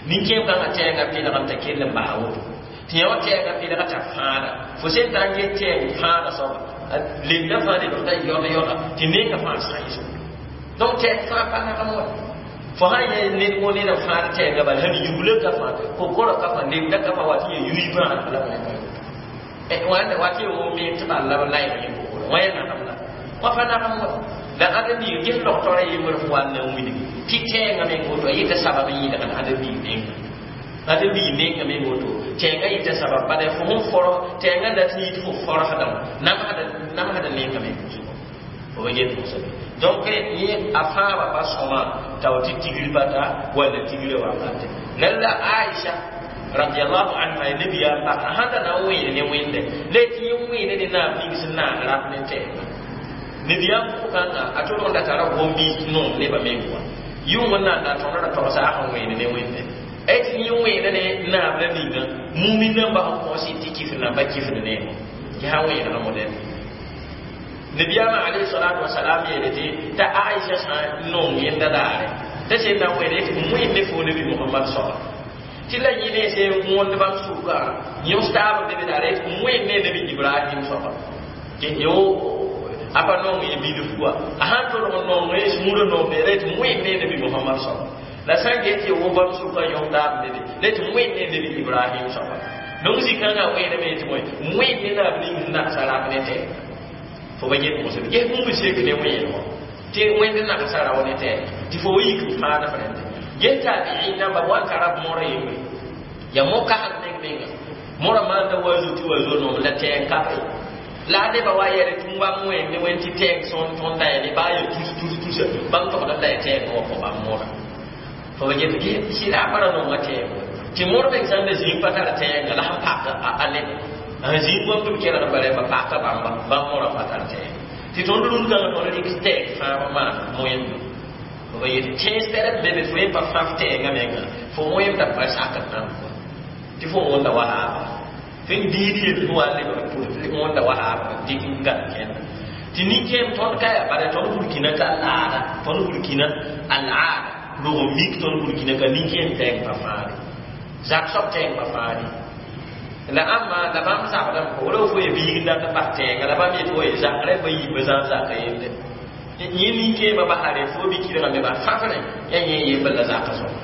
nin-kẽem kãngã tɛɛngã pɩlgem t'a kell n basa woto tɩ yã wã tɛɛngã pɩlga t'a fãada fo sẽn ta n get tɛɛng fãada soaba lemda fãa lebg t'a yɔd yɔda tɩ nenga fãa sãɩso donc tɛɛng fãa pa nagam wa fo sã n yɛ ned wõ ned n fãad tɛɛngã bala sẽn yuglã ka fãa kokora ka fãa lemda ka fãa wa tɩ ya yui bãad la wãnda wa tɩ ya wõ me tɩ bal la b layg yẽ kokora wã ya nagam la wã pa nagam wa la ãdem-biig ges logtora yembr f wa n na n wilgi tɩ tɛɛngã meng woto a yeta sabab n yɩlgd ãdem-biig menga ãdem-biig menga meng woto tɛɛngã yeta sabab bala fo sẽn forg tɛɛngã dat n yit fo forgsdã namsda menga meng zugu fo ba get mosã donc yẽ a fãaba pa sõma tao tɩ tigr bata walla tigrã wakate lalla Aisha radiallahu anha nabiya pagã sãn da na n wẽed ne wẽnde la tɩ yẽ wẽede ne naab ning sẽn naag rap ne tɛɛngã nabiyaam pʋgkãngã a tʋlg n da tara gom-biis noom nebã meng wã yʋng n na n da tõnd ra togsa a sẽn wẽed ne wẽnde tɩ yẽ wẽeda ne naab la ninga mumin nambã sẽn kõs tɩ kifr namba kifd neemo tɩ sã wẽedgã modɛl nabiyaamã alayhi salatu wasalam yeele tɩ t'a Aisha sã n nong yẽnda daare t'a sẽn na n wẽede tɩ m wẽnd ne fo nabi Mohamad soaba tɩ la yẽ ne sẽn wõnd bãmb sʋka yõs taab be be daare tɩ m wẽnd ne nabi Ibrahim soaba yo a pa nong ye bilf wa a sãn tolg n nong ye sũurã noomde la tɩ wẽnd ne nabi Mohamad soaba la sã n get tɩ wo bãmb sʋka yõs taab be be la tɩ wẽnd ne nabi Ibrahim soaba donc zĩ-kãngã wẽedame tɩ bõe wẽnd ne naab ning sẽn nagsa rap ne tɛɛga fo ba get mosã ges bũmb sek ne wẽedgo tɩ wẽnd nagsa rao ne tɛɛga tɩ fo wa yik n fãada f rẽnde ges taabiin namba wa n tara mora yembre ya mo kasem meng menga mora maanda wa zu tɩ wa zo noom la tɛɛg kape la neba wa yɛl tɩ bãmb wẽnd ne wẽnd tɩ tɛɛg sõn tõnd la ya baa ya tus tus tus bãmb togd la ya tɛɛg wa fo bãmb mora fo ba get sɩlaabã ra nonga tɛɛg tɩ mor meng sãn da zĩig pa tar tɛɛnga la sẽn pak a neb sẽn zĩig bãmb tɩ b kelg bala ba paka bãmba bãmb mora pa tar tɛɛg tɩ tõnd rũn-kãngã tõnd rɩk tɛɛg fãa maan moẽndo fo ba yet tẽes tɛrb be be fo yẽ pa fãf tɛɛngã menga fo wẽmda pa sakd nãmb tɩ fo wõnda wa haaba fẽn diid yel fo wa lebg wõnda wa haaba dɩk n gãd kẽnda tɩ nin-kẽem tõnd ka yaa bala tõnd burkina ka laada tõnd burkina al-aada rog n mik tõnd burkina ka nin-kẽem tɛɛng pa fãade zak soab tɛɛng pa fãade la ãmba la bãmb zabdame wala fo ya biig n dat n bas tɛɛnga la bãmb yet fo ye zakrã pa yiibã zãn zaka yende Yẽ nin-kẽemã basare fo bi-kɩdgã me bas fãfrẽ yaa yẽ yembr la zaka soaba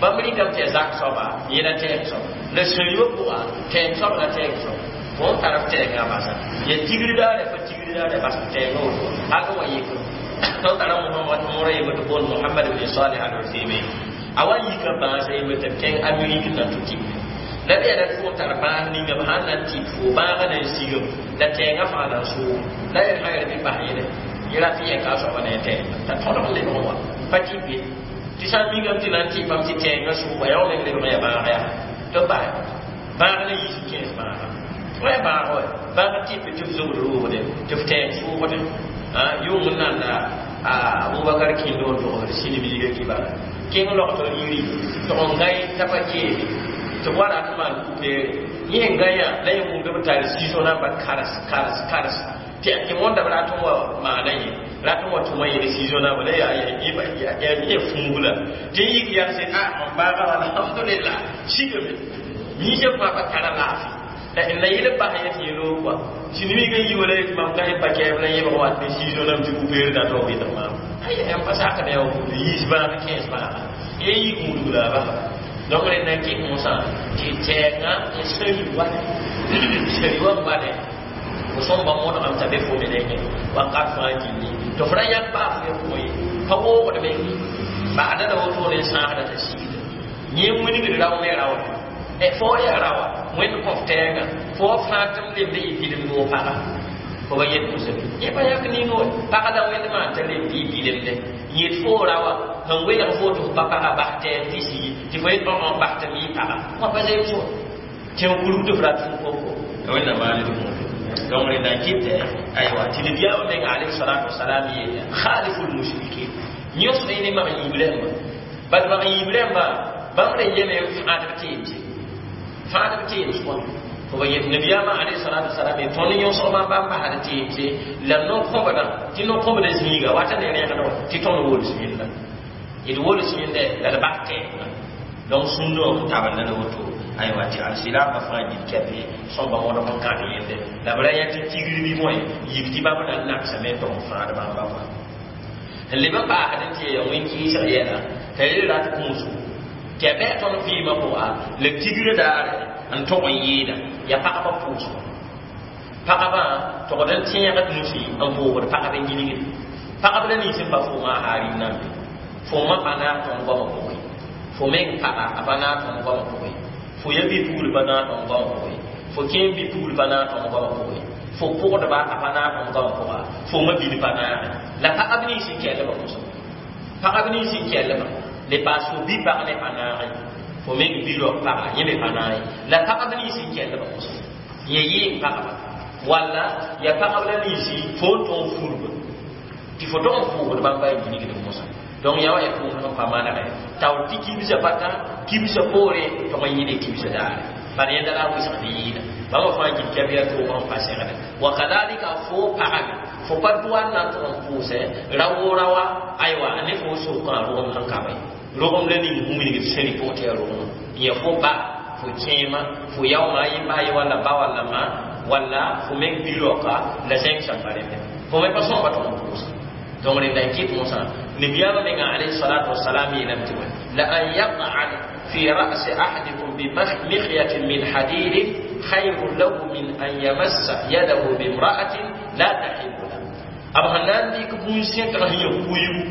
bãmb rɩkame tɩ yaa zak soaba yẽ la tɛɛg soaba la sũ-yã pʋga tɛɛg soab la tɛɛg soaba fo n tar f tɛɛngã basa ya tigri daare fa tigri daare bas f tɛɛngã woto hal wa yik tõnd tara moora yembr tɩ boond Mohamad ibn Salih al Uthaymin a wa yika bãasa yembr tɩ b kẽng Amerik n na tʋ tɩ la b yaa fo n tar bãas ninga b sãn na n tɩp fo bãagã na n sigem la tɛɛngã fãa na n soog la yel sã yaa bɩ bas yẽle yẽ rat n yẽka a soaba ne a tɛɛngã t'a tõdg n lebg n wa pa tɩp ye tɩ sã n mingame tɩ na n tɩpame tɩ tɛɛngã sooga yaa meng lebg n yaa bãag yaa tɩ b bas bãag la yiis n kẽes bãaga wa bãag wa bãag tɩp tɩ f zobd roogde tɩ f tɛɛng soogde yʋng n nanda Abubakar kĩndo n togsd sĩnimiiga kibara kẽng logtr iri tɩg n gãe t'a pa keeme tɩ b wa rat n maan kupeere yẽ n gãyã la yẽ wʋmd b tar siso namba kars kars kars tɩ wõnda b rat n wa maana yẽ rat n wa tʋma yẽl siso namba la yaa yẽ fũugla tɩ n yik yagse a mam baaga alhamdulillah sigame yĩsã fãa pa tara laafɩ la yɩl b bas yẽ tɩ yẽ loog kɔa sĩnimiigã yi wala yetɩ mam ka pa kɛɛb la yẽbg wat ne siso nam tɩ kupeere dat wa wɩlg maam ay m pa sakd yaa wa yiis bãag kẽes bãaga yẽ yik mudg la a basa donc rẽnd na n kɩt mosã tɩ tɛɛngã n sari wa sari wa n bale fo sõmba modgame t'a be fo me nengẽ wakat fãa gilli tɩ f ra yãk baa f ye pʋgẽ ye pa woogd meng ye ba'da la wotone n sãasda t'a sigda yẽ wilgd rao me raoore fo yaa raoa wẽnd kõ f tɛɛngã fo wa fãa tɩ m lemd yɩ bilemd wo paga fo ba yet mosã yẽ pa yãk ning wa pagã la wẽnd maan t'a lemd yɩ bilemde yet fo raoa sẽn welg fo tɩ f pa paga bas tɛɛg tɩ sigi tɩ fo yet õ bas tɩ m yɩ paga wã pa zems wa tẽ kurug tɩ f rat fũ koko wẽnnaam maan d gũudu donc rẽnd n kɩtɛ aywa tɩ nabiyaamã menga alayhi salatu wasalam yeela khaliful mushrikin yõsd ne mag yiib rãmba bad mag yiib rãmba bãmb ra yeme n fãadb teemse fãadb teems kõ fo ba yet nabiyaamã alayhi salatu wasalam ye tõnd yõsg bãmb bãmb basd teemse la no-kõbdã tɩ no-kõbda zĩiga wata ne rẽgd wã tɩ tõnd wols yẽnda d wols yẽnda la d bas tɛɛngã donc sũndã n tabenda la woto aywa tɩ alsilaamã fãa gil kɛpe sõmba wõdg n kãd yẽnde la b ra yã tɩ tigr bɩ bõe yik tɩ bãmb na n nagsame n tog n fãad bãmba kɔa n leb n paasd n tɩ yaa wẽn-kɩɩsg yɛla t'a yel rat kũusgo tɩ yaa bɩ tõnd vɩɩmã pʋga la tigrã daare n tog n yɩɩda yaa pagba pʋʋsgo pagba togd n tẽegd nusi n vʋʋgd pagb n gilgd pagb la nins n pa fʋʋmã a harim nambe fʋʋmã pa naag tõnd goamã pʋgẽ fo meng paga a pa naag tõnd goamã pʋgẽ fo ya bi-pugl pa naag tõnd goamã pʋgẽ fo kẽem bi-pugl pa naag tõnd goamã pʋgẽ fo pʋgdba a pa naag tõnd goamã pʋga fo ma bil pa naage la pagb nins n kɛllbã mosã pagb nins n kɛllbã le paas fo bi-pag ne pa naage fo meng bi-raop paga yẽ me pa naag ye la pagb nins n kɛllbã mosã yẽ yɩɩm pagba walla ya pagb la ninsi fo n tõog furba tɩ fo tog n pʋʋgd bãmba a gilgd mosã donc yaa wa yaa tʋʋmd sẽn pa manegɛ taoor tɩ kibsã pata kibsã poore tog n yɩle kibsã daare bala yẽnda la a wɩsgd yɩɩda bãmba fãa gil kɛb yaa tʋʋg n pa segde wa kadalika fo pagame fo pa dʋa n na n tʋg n pʋʋsɛ ra-wo-raoa aywa ne fo sokã rogem sẽn ka be rogem la ning bũmb ning d sẽn rɩ pʋgẽ tɩ yaa rogem yẽ fo ba fo kẽema fo yaooma yẽ ba ye walla ba walla ma walla fo meng bi-raoka la zẽng sẽn pa rẽnde fo me pa sõmba tʋg n pʋʋsa donc rẽnda n kɩt mosã nabiyaamã menga alayhi salatu wasalam yeelame tɩ la an yaq'ada fi ra'si ahadikum bimikyatin min hadidin khayrun lahu min an yamassa yadahu bimra'atin la tahillu lahu b sẽn na n dɩk bũn-sẽtg sẽn ya kuigu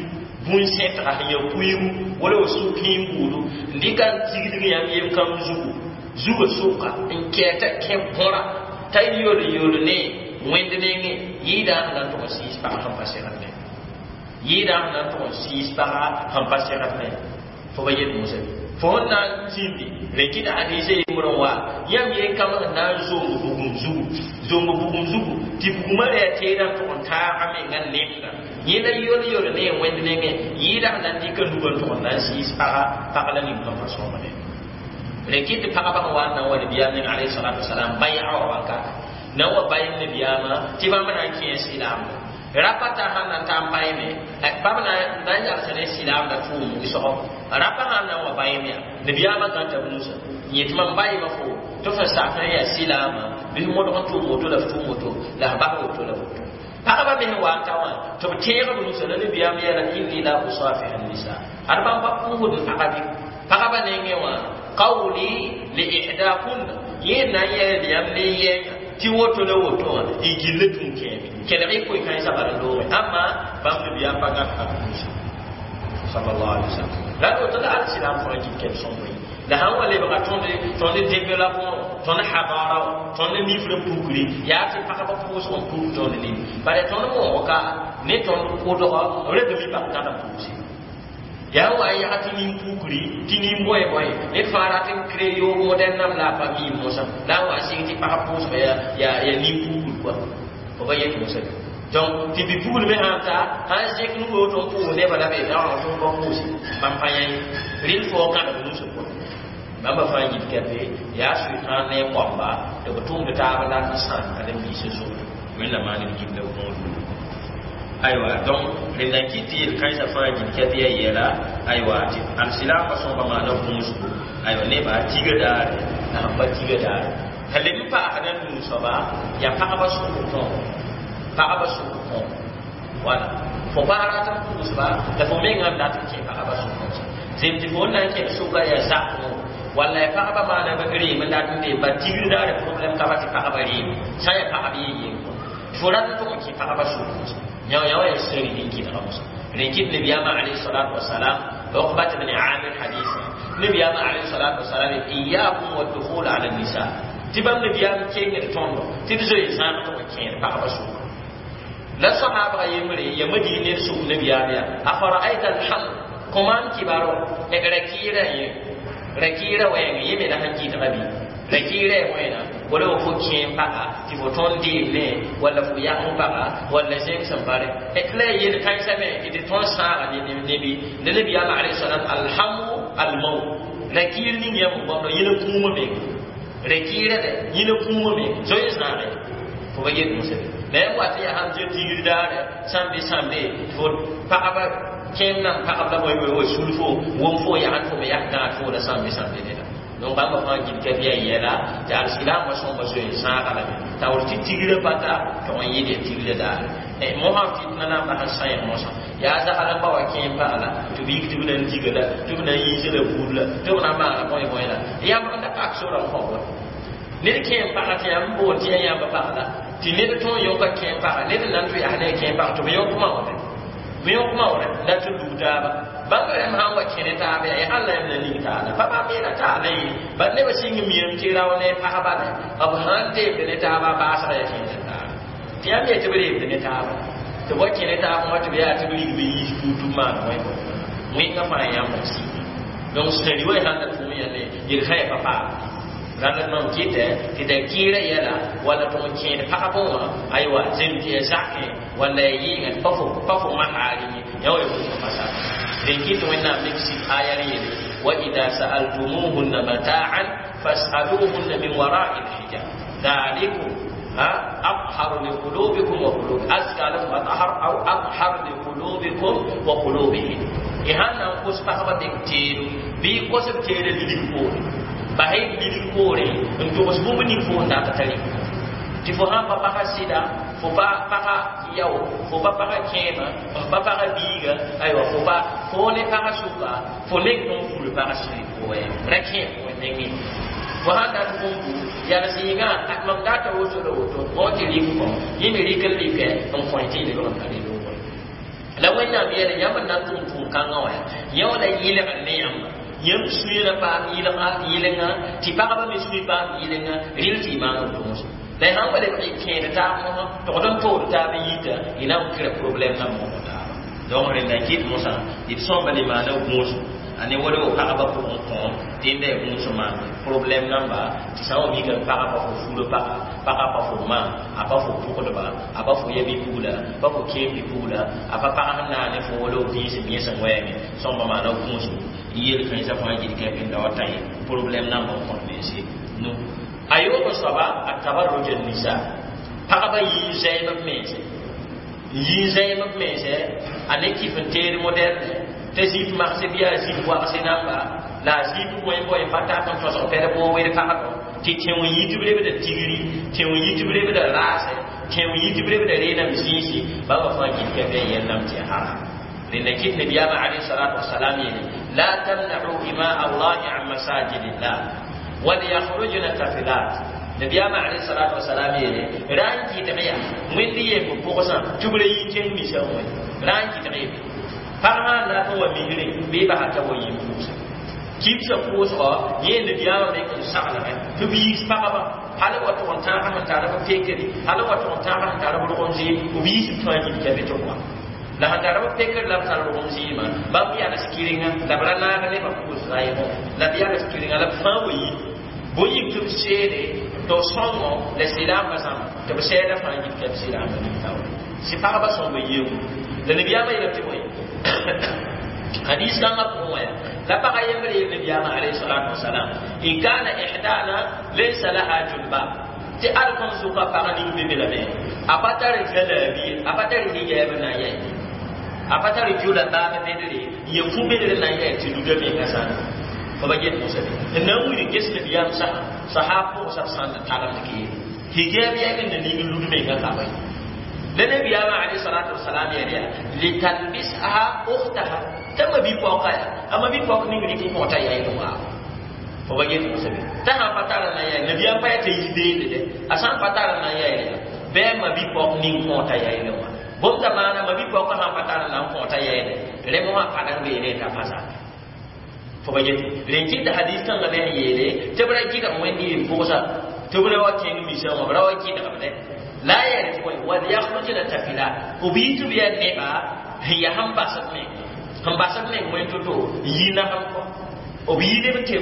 bũn-sẽtga sẽn ya kuigu wala wa sʋk kẽem buudu n dɩka n tigdg yãmb yem kam zugu zugã sʋka n kɛɛta kẽ bõra t'a yol yol ne wẽnd nengẽ yɩɩda sẽn na n tʋg n sɩɩs pagã sẽn pa segd ne yɩɩda sẽn na n tʋg n sɩɩs pagã sẽn pa segd ne fo ba yet mosã fo sẽn na n zĩndi rẽ kɩt hadiisã yembr n wa yãmb yen kam sẽn na n zomb bugum zugu zomb bugum zugu tɩ bugumã ra yaa teedã n tʋg n taaga menga nemda yẽla yol yol ne wẽnd nengẽ yɩɩda sẽn na n dɩka nugã n tʋg n na n sɩɩs pagã pag la ning sẽn pa sõmde rẽ kɩt tɩ pagba sẽn wa n na n wa nabiyaam neng alayhi salatu wasalam bai'a wa wakata na n wa bayem nabiyaamã tɩ bãmb na n kẽes silaamda rapa t'a sãn na n taa n bayme bãmb na n yalsa ne silaamda tʋʋm wɩsgo rapa sãn na n wa bayem yaa nabiyaamã gãta b nusa n yet mam bayma fo tɩ f sak n yaa silaamã bɩ f modg n tʋʋm woto la f tʋʋm woto la f bas woto la woto Pagba me wa n ta wã tɩ b tẽeg b nusa la nabiyaam yeela inni la usafiha nisa ad bãmb pa pʋʋsd pagã bɩ pagba nengẽ wã qawli li ihdakunna yẽ na n yɛl yãmb ne yɛnga tɩ woto la woto wã y gilli tũn kẽeme kelg y koe kãensã bala loogẽ ãmma bãmb nabiyaam pa gãd pag nusa sallallahu alaihi wasallam la woto la alsilam fãa gil kɛl sõmb ye la sãn wa lebga tõnd tõnd développement tõnd hadara wã tõnd nifr n pukri yaa tɩ pagba pʋʋsg n puk tõnd nini bare tõnd moog ka ne tõnd kʋdgɔ b reta mi pag tãd n pugse yaa wa n yag tɩ nin pukri tɩ nin bõe bõe ned fãa rat n kree yoog modɛl nam la a pa miim mosã la n wa n sɩng tɩ pag pʋʋsg yaa yaa nin pukr kɔa fo ba yet mosã donc tɩ bi-pugl me sãn ta sãn zẽk nu woto n pʋʋs nebã la be daoã tɩ ba pʋʋse bãmb pa yã rɩl fo kãdg nusã pʋgẽ bãmba fãa yit kɛpe yaa sʋɩtãan ne a koamba tɩ b tʋmd taab la n sãam karen-biisã zʋgd wẽnna maan d gilda võodum aywa donc rẽnda n kɩt tɩ yel-kãensã fãa gil kɛp yaa yɛla aywa tɩ alsilaamã sõsba maana gũusgo aywa nebã tiga daare la sẽn pa tiga daare t'a leb n paasd n nuu soaba yaa pagba sʋk kõo pagba sʋk kõo wala fo pa rat n pʋʋsba la fo mengã n dat n kẽ pagba sʋk kõo zem tɩ fo n na n kẽd sʋka yaa zak kõo walla ya pagba maana b reem n dat n dee ba tigr daare problème ka ba tɩ pagba reem sã n yaa pagb yee yeng fo rat n tʋg n kẽ pagba sʋk kõo yao yao ya seri din kidga musa rin kid nabiyama alayhi salatu wassalam uqbat ibn amir haditha nabiyama alayhi salatu wassalam iyyakum wad-dukhul ala an-nisa tibam nabiyam kengir tondo tib zoy zan to ken pagba su la sahaba yemre ya madine su nabiyam ya afara'aita al-ham kuman kibaro e rakira ye rakira wayen yeme la hanki tabi rakira wena wala fo kẽem paga tɩ fo tõnd deemne walla fo yãng paga walla zẽng sẽn bare la ya yel kãensã me tɩ tɩ tõnd sãaga nebi la nabiyaamã alayhi salam alhamu almaut rakɩɩr ning yãmb n goamd yẽl kũumã meng rakɩɩra dɛ yẽl kũumã meng zoe zãage fo ba yet mosã la yãmb wa tɩ yaa sãn zẽ tigr daare sãmbe sãmbe fo pagba kẽem nan pagb la bõe bõe wa sul fo wʋm fo yagd fo me yak gãad fo la sãmbe sãmbe neda donc bãmba fãa gil kɛp yaa yɛla tɩ alsilaamã sõmba zoe sãaga lame t'a wor tɩ tigrã pata tɩ n yɩl ya tigrã daare mosã fitna na n bas n sãeeg mosã yaa zagl n ba wa kẽem pagla tɩ b yik tɩ b na n diga la tɩ b na n yiis la buud la tɩ b na n maana bõe bõe la yãmb n da pak sorã n kõ bõe ned kẽem paga tɩ yãmb boond tɩ yaa yãmb pagla tɩ ned tõe n yõka kẽem paga ned n na n tʋ yaa ne kẽem paga tɩ b yõkma wã b yõkma wã la tɩ lug taaba bãmb rẽmb sãn wa kẽne taaba yaa alla yãmb na ning taala pa bãmb yeela taala ye bad nebã sɩng miame tɩ rao ne pagba le b sãn deemd ne taaba baasga yaa kẽnd taaba tɩ yãmb yetɩ b reemd ne taaba tɩ b wa kẽne taab wã tɩ b yaa tɩ b rig b yiis puur tɩ b maan wẽ wẽngã fãa yãmb n sɩng donc sẽri wa sãn da tʋm yã ne yel-kãe pa paam rãnd mam kɩtɛ tɩ da kɩɩrã yɛla walla tɩ n kẽed pagb wã aywa zem tɩ ya zakẽ walla ya yɩɩngã pa fo pa fo masaar ye yã wa ya pasa rẽn kɩt wẽnnaam mik sɩd aya r yele wa ida sa'altumuhunna mata'an fas'aluhunna min wara'i lhijab dhalikum أطهر لقلوبكم وقلوب أزكى لكم أطهر أو أطهر لقلوبكم وقلوبهم إهانا قص pagba beng teedo bɩ kosb teeda lilig poore basɩ lilig poore n togs bũmb ning fo n dat tari tɩ fo sãn pa pagã sɩda fo pa pagã yao fo pa pagã kẽema n pa pagã biiga aywa fo pa fo ne pagã sʋka fo neng tõn ful pagã sɩd pʋgẽ ra kẽem pʋgẽ nengẽ fo sãn dat bũmbu yals yĩngã mam data woto la woto mo tɩ rɩk kõ yẽ me rɩk n rɩkɛ n kõe tɩ y lebg n ka rɩ la wẽnnaam yeele yãmb n na n tʋm tʋʋm-kãngã wã yã wala yɩlgr ne yãmba yãmb sũyã paam yɩlga yɩlenga tɩ pagba me sũy paam yɩlenga rɩl tɩ y maan b tʋʋsem la y sãn wa leb kẽed taab mosã togd n tood taab n yita y na n kɩra problɛm nan mosg taaba donc rẽnda n kɩt mosã d sõmba le maana gũusum a ne wala pagba pʋgẽ kõom tẽnda ya gũusum maan problɛm namba tɩ sã n wa mika pagã pa fo furã paga pagã pa fo maa a pa fo pʋgdba a pa fo ya bi-pugla pa fo kẽem bi-pugla a pa pag sẽn naane fo wala vĩis n yẽs n wɛɛme sõmba maana gũusum yel kãensã fãa gil kɛp n da wa tã ye problɛm namba n kõt mense no a yoob soaba a tabarruj nisa pagba yii zɛɛm b mense yii zɛɛm b mense a ne kɩf n teed moderne tɩ zip magse bɩ yaa zip wagse namba la a zip bõe bõe pa tat n tõsg pɛd boo wer pagdɔ tɩ tẽo yi tɩ b lebda tigri tẽo yi tɩ b lebda raase Kẽem yi tɩ b rebda reenam zĩisi bãmba fãa gilka bɩ yẽndame tɩ haram. Rẽnda kɩt nabiyaamã alayhi salatu wasalam yeele la tamna'u ima allahi an masajidillah walyahrujna tafilat. Nabiyaamã alayhi salatu wasalam yeele ra n kɩtg yaa wẽnd yemb pʋgsã tɩ b ra yi kẽng misã wẽ ra n kɩtg yebe pag sã n dat n wa misre bɩ basa t'a wa yĩm pʋgsẽ kibsã pʋʋsgɔ yẽ nabiyaamã me n saglgẽ tɩ b yiis pagba hal wa tʋg n tãag sẽn tar b pekre hal wa tʋg n tãag sẽn tar b rogem zɩɩm b yiis b fãa gilka be tɩ b wa la sẽn tar b pekr la b tar rogem zɩɩmã bãmb yals kɩrenga la b ra naag nebã pʋʋs raɩgo la b yals kɩrenga la b fãa wa yi bõe yik tɩ b seede tɩ b sõngo la silaambã zãma tɩ b sɛɛda fãa gilka b silaambã ning taoore sɩ pagba sõmba yeem la nabiyaamã yeelame tɩ bõe hadis kãngã pʋgẽ wã la pagã yembr yeel nabiyaamã alayhi salatu wasalam in kana ihdana laysa laha julbab tɩ ad kõn sʋka pag ning be be lame a pa tar zalaabi a pa tar hijaab na n yɛ a pa tar jula baab bedre n yɛ fu bedre na n yɛ tɩ luda menga sãna fo ba get mosã be n na n wilg ges nabiyaam sã sahab pʋgsa b sãn tagemd kɩ hijaab yɛg n na ning lud menga ka bõe la nabiyaamã alayhi salatu wasalam yɛl yaa litalbisha ukhtaha t'a ma bi-paoka yaa a ma bi-paok ning rɩk n kõta yaɩl waa fo ba get mosã be t'a sã pa tar n na n yaɩl nabiyaam pa yaa t'a yi beelde dɛ a sã n pa tar n na n yaɩl yaa bɩ a ma bi-paok ning kõta yaɩl wã bõmb t'a maana ma bi-paoka sã n pa tar n na n kõta yaɩle rẽ mosã padeng beene t'a pa zame fo ba get rẽn kɩt hadis kãngã me sẽn yeele tɩ b ra kɩdg wẽnd yem pʋgsa tɩ b ra wa kẽng misã wã b ra wa kɩdgb dɛ la yɛl tɩ bõe walyahrujna tafilat b yi tɩ b yaa neba sẽn yaa sẽn basd meng sẽn basd meng wẽn to-to n yi nasem kɔ b yi neb tɩ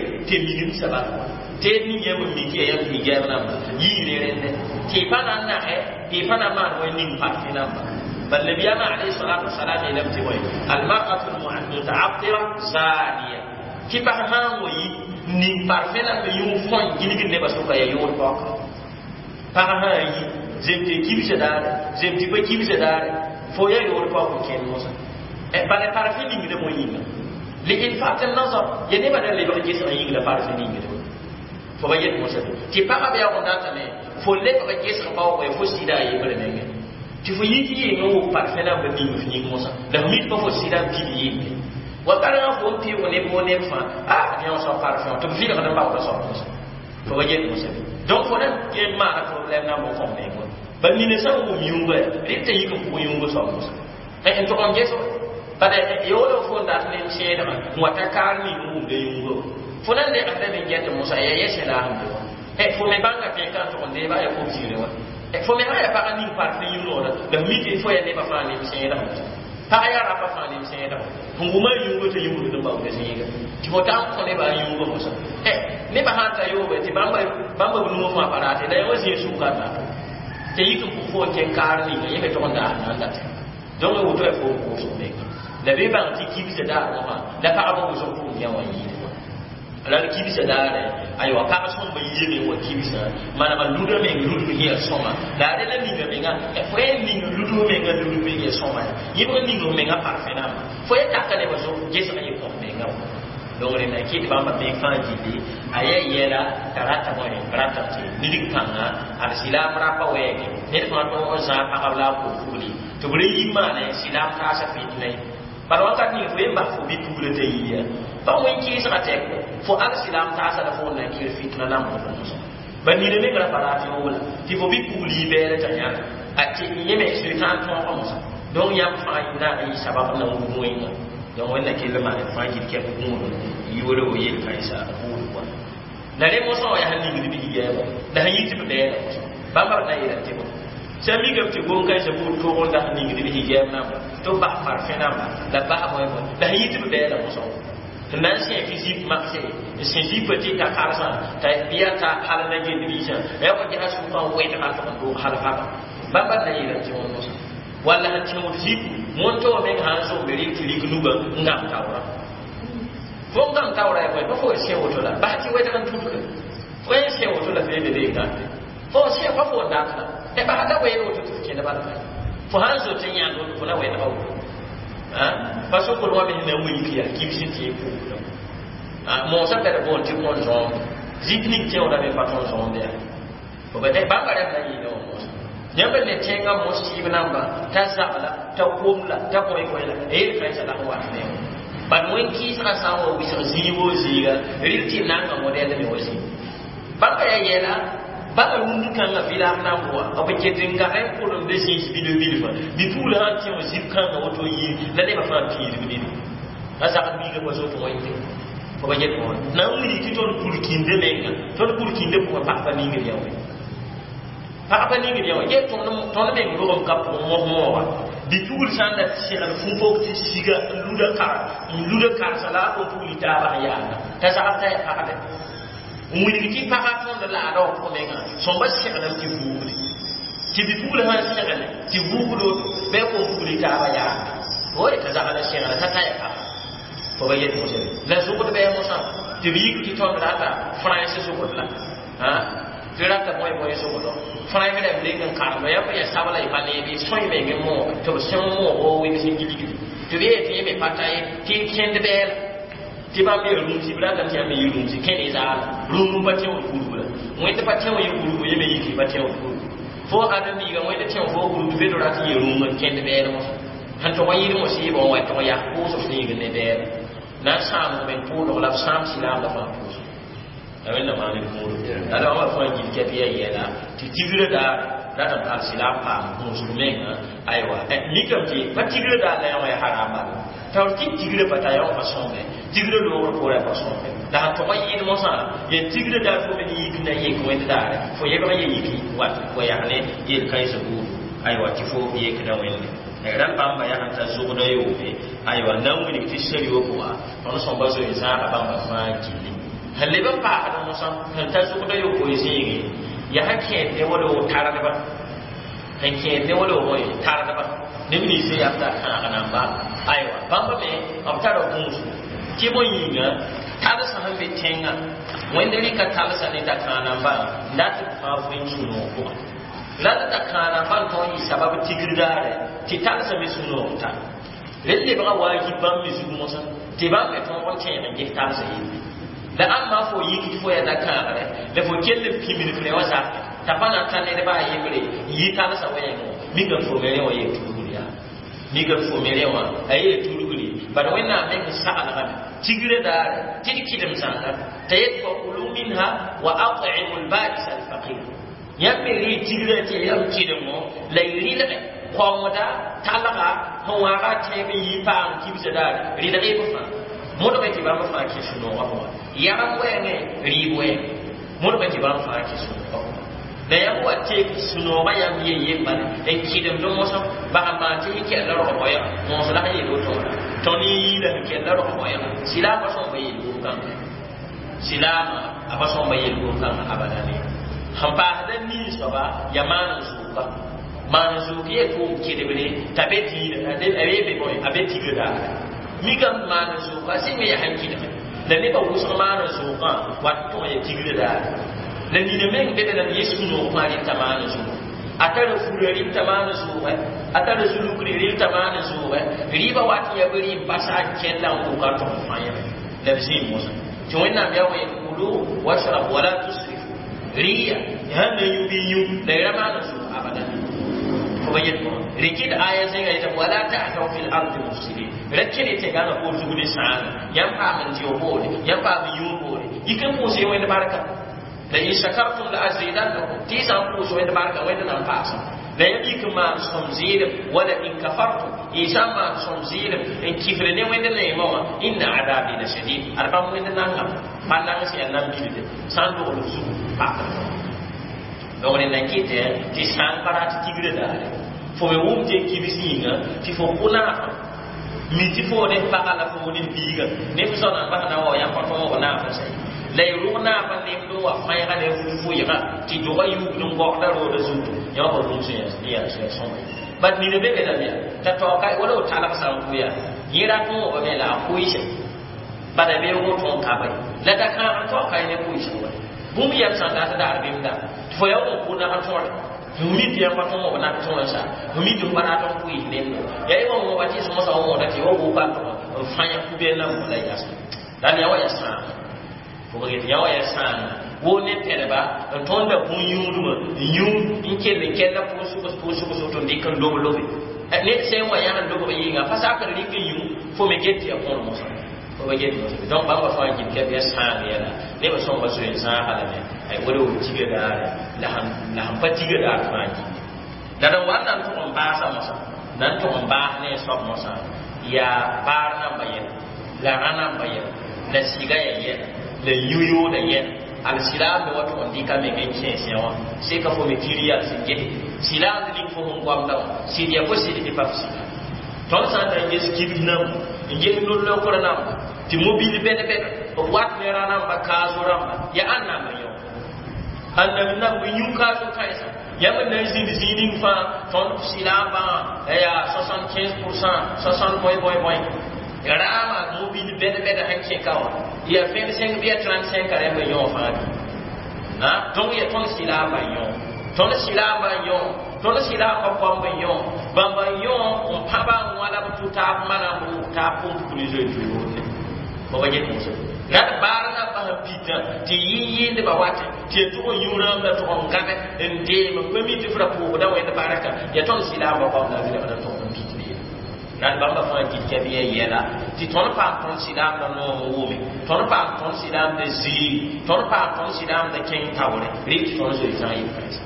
minim sabat kɔ tɩ d ning yãmb n mik yaa yãmb hijaab namba yiire rẽndɛ tɩ y pa na n nasɛ tɩ y pa na maan wẽn ning parfi namba bal nabiyaamã alayhi salatu wasalam yeelame tɩ bõe almar'atu almutaatira zaniya tɩ pag sã n wa yi ning parfẽ namba yũ fõn gilgd nebã sʋka yaa yʋʋd paoka pag sã n yi zem tɩ kibsã daare zem tɩ pa kibsã daare fo yaa yoor paoog n kẽnd mosã bala parfẽ ningda mo yĩnga liilfat nazar ya nebã da lebg gesg yĩng la parfẽ ningda fo ba yet mosã tɩ pagã bɩ yaa n datame fo lebg gesg baoog fo sɩda a yembre menge tɩ fo yik yɩɩng n wʋk parfẽ namba ning f yĩng mosã la f mit pa fo sɩda n pid yɩɩnde wa karengã fo n pɩʋg neb wo neb fãa a yã wã soab parfẽ wã tɩ b vɩlgd n baooda soab mosã fo ba yet mosã donc fo na n maana problème na n bo kõm meng ba nina sã n wʋm yũngã rɩ t'a yik n pʋg yũngã soab mosã n tʋg n ges bala yaoolo fo n dat ne n sẽedgã n wa ta kaar ning n wʋmda yũngã fo na n legdame n get mosã yaa yɛ sẽn laasem be wã fo me bãnga tẽ ka n tʋg n deeba yaa kob zĩre wã fo me sã yaa pagã ning parfẽ yũ-noora la f mi tɩ fo yaa nebã fãa nem sẽedg mosã pag yaa rapa fãa nem sẽedg sẽn wʋma yũngã t'a yũgd n baoonda zĩiga tɩ fo ta n kõ nebã a yũngã mosã nebã sã n ta yoobe tɩ bãmba bãmba b nugu fãa pa raate la yã wã zĩig sʋka dato tɩ yik n pʋg fo n kẽng kaar ninga yẽ me tʋg n daas na n date donc woto yaa fo n pʋʋsg menga la bɩ bãng tɩ kibsã daar wã la pagba wʋsg pʋgẽ yã wã yɩɩd wã la kibsã daare aywa pag sõmba yɩɩme wa kibsã manema luda meng ludg yã sõma la a rela ninga menga fo yaa ning ludg menga ludg ya sõma ya yɩbg ning menga parfẽ namba fo ya taka nebã zo gesg yɩ kõs menga wã donc rẽnda kɩt bãmba meng fãa gilli a yaa yɛla t'a rata bõe rata tɩ nidg kãnga ad silaam rapa wɛɛge ned fãa tõog n zãag pagb la a kod fugli tɩ b ra yi maane silaam taasa fitna ye bala wakat ning fo yen bas fo bi-pugla t'a yiya pa wẽn kɩɩsgã tɛk fo al silaam taasa la fo n na n kɩr fitna lamb fo mosã ba nina meng ra pa raat yoola tɩ fo bi-pugl yi bɛɛla t'a yãna tɩ yẽ me sʋɩtãan tõoga mosã donc yãmb fãa na n yɩ sabab na wug wẽnga donc wẽnna kell maan fãa gil kɛp gũudum yʋʋre wo yel-kãensã buud pʋa la rẽ mosã wã yaa sẽn ningd bɩ hijaaba la sẽn yɩ tɩ b bɛɛla mosã bãmba b na n yeela tɩ bõ sã mikame tɩ gom-kãensã buud tʋg n dat ningd bɩ hijaab namba tɩ b bas parfẽ namba la bas bõe bõe la sẽn yɩ tɩ b bɛɛla mosã wã n na n sẽ tɩ zip makse n sẽ zipã tɩ ta karsã t'a bɩa ta hal na gend biisã la ya wa gesa sʋkã n wẽdga n tʋg n doog hal paba bãmba b na yeela tɩ wã mosã walla sẽn tẽod zip mõntoo meng sã n zombe rɩk tɩ rik nugã n gãm taoora fo n gãm taoora ya bõe pa fo sẽ woto la bas tɩ wɛdg n tutge fo yẽ sẽ woto la fee be bee gãmbe fo sẽ pa fo n dat la bas la wɛɛd woto tɩ f kẽnd bala fa fo sã n zot n yãnd woto fo na wɛdga woto pa sokd wã me sẽn na n wilg yaa kibs n tɩ y pʋʋgda moosã ka d boond tɩ kõn zõomde zip ning tẽoodame pa tõn zõomde yaa bãmba rẽmb na yɩɩda wã moosã Yãmb ne tẽngã mos sɩɩb namba t'a zagla t'a komla t'a bõe bõe la yel kãensã la n wat ne bad wẽn-kɩɩsgã sã n wa wɩsg zĩig wo zĩiga rɩl tɩ nanga modɛl me wa zĩig bãmba yaa yɛla bala rũnd kãngã vɩlaag namb wã b ket n gag n pʋlemd zĩis bilf bilfã bi-pugl sãn tẽ wã zib kãngã woto yɩ la nebã fãa piidb nini a zagd biigã pa zoet wẽnde fo ba yet wã na n wilg tɩ tõnd pur-kĩndã menga tõnd pur-kĩndã pʋgã pag pa ningd yã wẽ pag pa ningd yã wã ye tõnd meng rogem ka pʋgẽ mos mooga bi-pugl sã n la segl fũ-pok tɩ siga n luda kar n luda karsa la a kõn pugl taabã sẽn yaanda t'a zagd t'a ya pagdɛ n wilg tɩ pagã tõnd laada wã pʋgẽ mengã sõmba seglem tɩ vuugde tɩ bi-pugl sãn segle tɩ vuugd woto bɩ a kõn pugl taabã yaanda oe t'a zagda segla t'a ta ya paga fo ba yet mosã la zʋgd bɩ mosã tɩ b yik tɩ tõnd rata frãns zʋgd la tɩ rata bõe bõe zʋgdɔ frãns rãmb leng n karem yãmb ya sabla y pa neeb y sõe meng n moog tɩ b sẽng moog o wɩb sẽn gilgdi tɩ b yee tɩ yẽ me pa ta ye tɩ kẽnd bɛɛla tɩ bãmb yaa rũmsi b ratame tɩ yãmb me yɩ rũmsi kẽne zaala rũm pa tẽ wã kurbu la wẽnd pa tẽ wã yɩ kurbu yẽ me yik pa tẽ wã kurbu fo ãdem-biiga wẽnd tẽ wã fo kurbu be rat n yɩ rũm n kẽnd bɛɛl mosã sẽn tog n yɩɩd mos yɩɩbã wã tog yaa pʋʋsg sẽn ne bɛɛl na n sãamg meng pʋʋlg la b sãam silaam la fãa pʋʋsg la wẽnna maan d kũur la wã fãa gil kɛp yaa yɛla tɩ tigrã daar rat n paam silaam paam gũusg menga aywa mikame tɩ pa tigrã daar la yã wã yaa haram bala taoor tɩ tigrã pa ta yã wã pa sõmbe tigrã loogr poorã pa sõmbe la sẽn tog n yɩɩd mosã yaa tigrã daar fo me yik na yek wẽnd daare fo yebg ye yik wat wa yaa ne yel-kãensã buudu aywa tɩ fo yekda wẽnde rãmb bãmba yaa sẽn ta zʋgda yoome aywa na n wilg tɩ sari wã pʋga tõnd sõmba zoe zãaga bãmba fãa gilli sẽn leb n paasd mosã sẽn ta zʋgda yopoe zĩige yaa sẽn kẽed ne wala wo tardba sẽn kẽed ne wala wo tardba neb nins n yaa b tar kãag namba aywa bãmba me b tara gũusgo tɩ bõe yĩnga talsã sẽn be tẽngã wẽnd rɩka talsã ne dakãag nambã n dat b fãa vẽn sũ-noog pʋgã la d dakãag nambã n tõog n yɩ sabab tigr daare tɩ talsã me sũ-noog ta rel lebga waajib bãmb me zug mosã tɩ bãmb me tõog n tẽeg n ges talsã yelle la ãmba fo yik tɩ fo yaa dakãagre la fo kell n pĩmd f wã zakẽ t'a pa na n ta nedbã a yembre n yɩ talsã wɛɛngẽ mikame fo me rẽ wã yel tudgr yaa mikame fo me rẽ wã a yel tudgri bad wẽnnaam meng saglgame tigrã daare tɩ d kɩdem zãnga t'a yet fakulu minha wa at'imu lba'is alfaqir yãmb me rɩ tigrã tɩ yãmb kɩdemo la y rɩlge kõngda talga sẽn waaga tẽeb n yɩ paam kibsã daare rɩlg y b fãa modg tɩ bãmb fãa kẽ sũ-noogã pʋgã yãrem wɛɛngẽ rɩɩb wɛɛngẽ modg tɩ bãmb fãa kẽ sũ-noogã pʋgã la yãmb wa teek sũ-noogã yãmb ye yembale n kɩdemd mosã bag n maan tɩ kɛlla rog boɛga moos la sẽn yel woto wã tõnd n yiila sẽn kɛlla rog boɛga silaam pa sõmba yel-gom kãnga silaamã a pa sõmba yel-gom kãnga abadane sẽn paasda nin soaba yaa maan n zʋʋka maan n zʋʋk ye tʋʋm kɩdemre t'a be diinã a be bõe a be tigrã daare mikame maan n zʋʋka sẽn me yaa sẽn kɩdge la nebã wʋsg maan n zʋʋkã wat tʋg ya tigrã daare la nina meng be be la yẽ sũ-noog fãa rɩta maan n zʋʋg a tara fura rɩta maan n zʋʋgɛ a tara zulukre rɩta maan n zʋʋgɛ rɩɩbã wat n yaa bɩ rɩ n basa n kẽlla n wʋka tʋg n fãa yẽme la b zĩig mosã tɩ wẽnnaam yaa wẽ kulu washrab wala tusrifu rɩya sãn na yũ bɩ yũ la y ra maan n zʋʋg abadan fo ba yet rikid aya zẽnga yetame wala ta'thaw fi l-ardi mufsidin ra kẽne tɩ gãngã poor zug ne sãanga yãmb paam n dɩ poore yãmb paam n yũud poore yik n pʋʋs wẽnd barka la in shakartum la azidannakum tɩ y sã n pʋʋs wẽnd barka wẽnd na n paasã la yãmb yik n maan sõm zɩɩlem wala in kafartum y sã n maan sõm zɩɩlem n kifr ne wẽnd neemã wã inna adabi la shadid ad bãmb wẽnd nangame pa nang sẽn yaa nam bilde sã n dogl f zugu paakd donc rẽnd na n kɩtɛ tɩ sã n pa rat tigrã daare fo me wʋm tɩ kibs yĩnga tɩ fo kʋ naafã mi tɩ fo ne paga la fo ne biiga ne f sõna n bas na wa yãmb pa tõog naafã sã la y rʋg naafã nemd n wa fãeega ne fʋɩga tɩ dogã yuugd n gɔgda roodã zutu yã pa bũmb sẽn yaa sõma bat nina be be lame yaa t'a taoka wala b talg sã n kʋ yaa yẽ rat wõogame la a kʋɩse bala beoogo tõog ka ba la da-kãabr taoka ne kʋɩsg wa bũmb yɛm sã n dat daar bɩmda tɩ fo yaa wõ kʋ nag tõore mi tɩ yãmb pa tõog b nak tõe sã mi tɩ f pa rat n kʋɩs nemdo yaa y wa wõoba tɩ sõsã wõoda tɩ wa wʋka tʋg n fãya kubɛl nambã la yas la yã wa yaa sãama fo get yã wa yaa sãanga Woo ne tẽdba n tõnda bũn-yũudmã n yũ n kell n kɛlla pʋʋsgs pʋʋsgs woto n dɩk n lob lobe ned sã n wa yãg n lobg yɩnga pa sakr rɩk n yũ fo me get tɩ ya põor mosã fo ba get mosã donc bãmba fãa gil kɛb yaa sãang yɛla nebã sõnga zoe n zãaga lame ay wala w tiga daare la sẽn pa tiga daar fãa gilli la d wa n na n tʋg n baasa mosã na n tʋg n baas ne a soab mosã yaa baar namba yɛla la rã namba yɛla la sɩga ya yɛla la yũ-yooda yɛla al silaam me wa tʋg n dɩka meng n kẽes yã wã seka fo me kir yaa sẽn gete silaam ning fo sẽn goamda wã sɩd ya fo sɩd tɩ pa f sɩda tõnd sã n na n ges kibs namba n ges no-lokr namba tɩ mobil bɛd-bɛd b wat ne rã namba kaaso rãmba ya ãn namba yõ ãn namba yũ kaaso kãensa yãmb n na n zĩnd zĩig ning fãa tõnd silaambã yaa soixante-quinze pour cent soixante bõe bõe bõe raama mobil bɛd-bɛd sẽn kẽ ka wã ya vingt-cinq bɩ ya trente-cinq rẽmb n yõ fãa bɩ na donc ya tõnd silaambã n yõ tõnd silaambã n yõ tõnd silaambã koamb n yõ bãmba n yõ n pãba n wãla b tʋ taab manam b taab pʋm-pukr zoe toyoodne fo ba get mosã la d baar nambã sẽn pitã tɩ yɩ yɩɩndbã watẽ tɩ ya tʋg n yũ rãmb la tʋg n gãbe n deem n pa mi tɩ f ra pʋʋgda wẽnd barka ya tõnd silaambã koam la a n tʋg n pit beene la d bãmba fãa gil kɛb ya yɛla tɩ tõnd paam tõnd silaamdã noom wʋme tõnd paam tõnd silaamdã ziig tõnd paam tõnd silaamdã kẽng taoore rɩk tɩ tõnd zoe zã yel-kãensa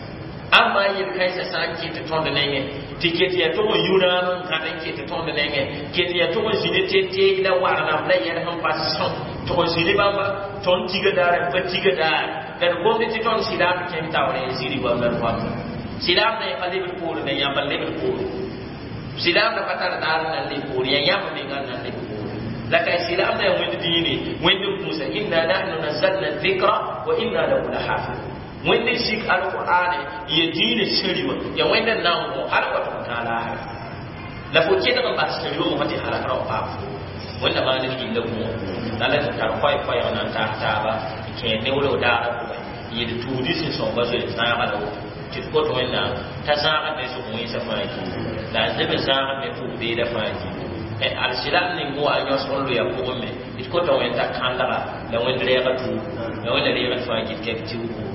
ãmba yel-kãensã sã n ket tõnd nengẽ tɩ ket yaa tʋg n yũ rãam n gãd n ket tõnd nengẽ ket yaa tʋg n zĩ ne teteeg la war namba la yɛl sẽn pa sõm tʋg n zĩ ne bãmba tõnd tiga daare n pa tiga daare la d gomd tɩ tõnd silaamd kẽng taoore n ziri goamda d goamda silaamdã pa lebd poore la yãmb n lebd poore silaamdã pa tar daar n na n leb poore yaa yãmb menga n na n leb poore la ka silaamdã yaa wẽnd diine wẽnd n kũusa inna nahnu nazzalna dhikra wa inna lahu lahafidun wẽnd n sik alqur'ane ya diine sẽri wã ya wẽnd n na n wõ hal wa tʋg tã laara la fo kelg n bas sẽri wã tɩ halakra w paam fo wẽnda maan d gilla gũa la la tɩ tar koɛɛ-koɛɛg na n taas taaba n kẽer ne wala daara pʋgẽ yel tuudi sẽn sõnga zoe zãaga la woto tɩ d kot wẽnnaam t'a zãagd ne zʋg wẽnsã fãa gilli la a leb n zãagd ne pʋg beeda fãa gilli alsilam ning wa yõsg n loya pʋgẽ me d kota wẽnd t'a kãndga la wẽnd rɛɛga tuub la wẽnda reegd fãa gil kɛb tiugu.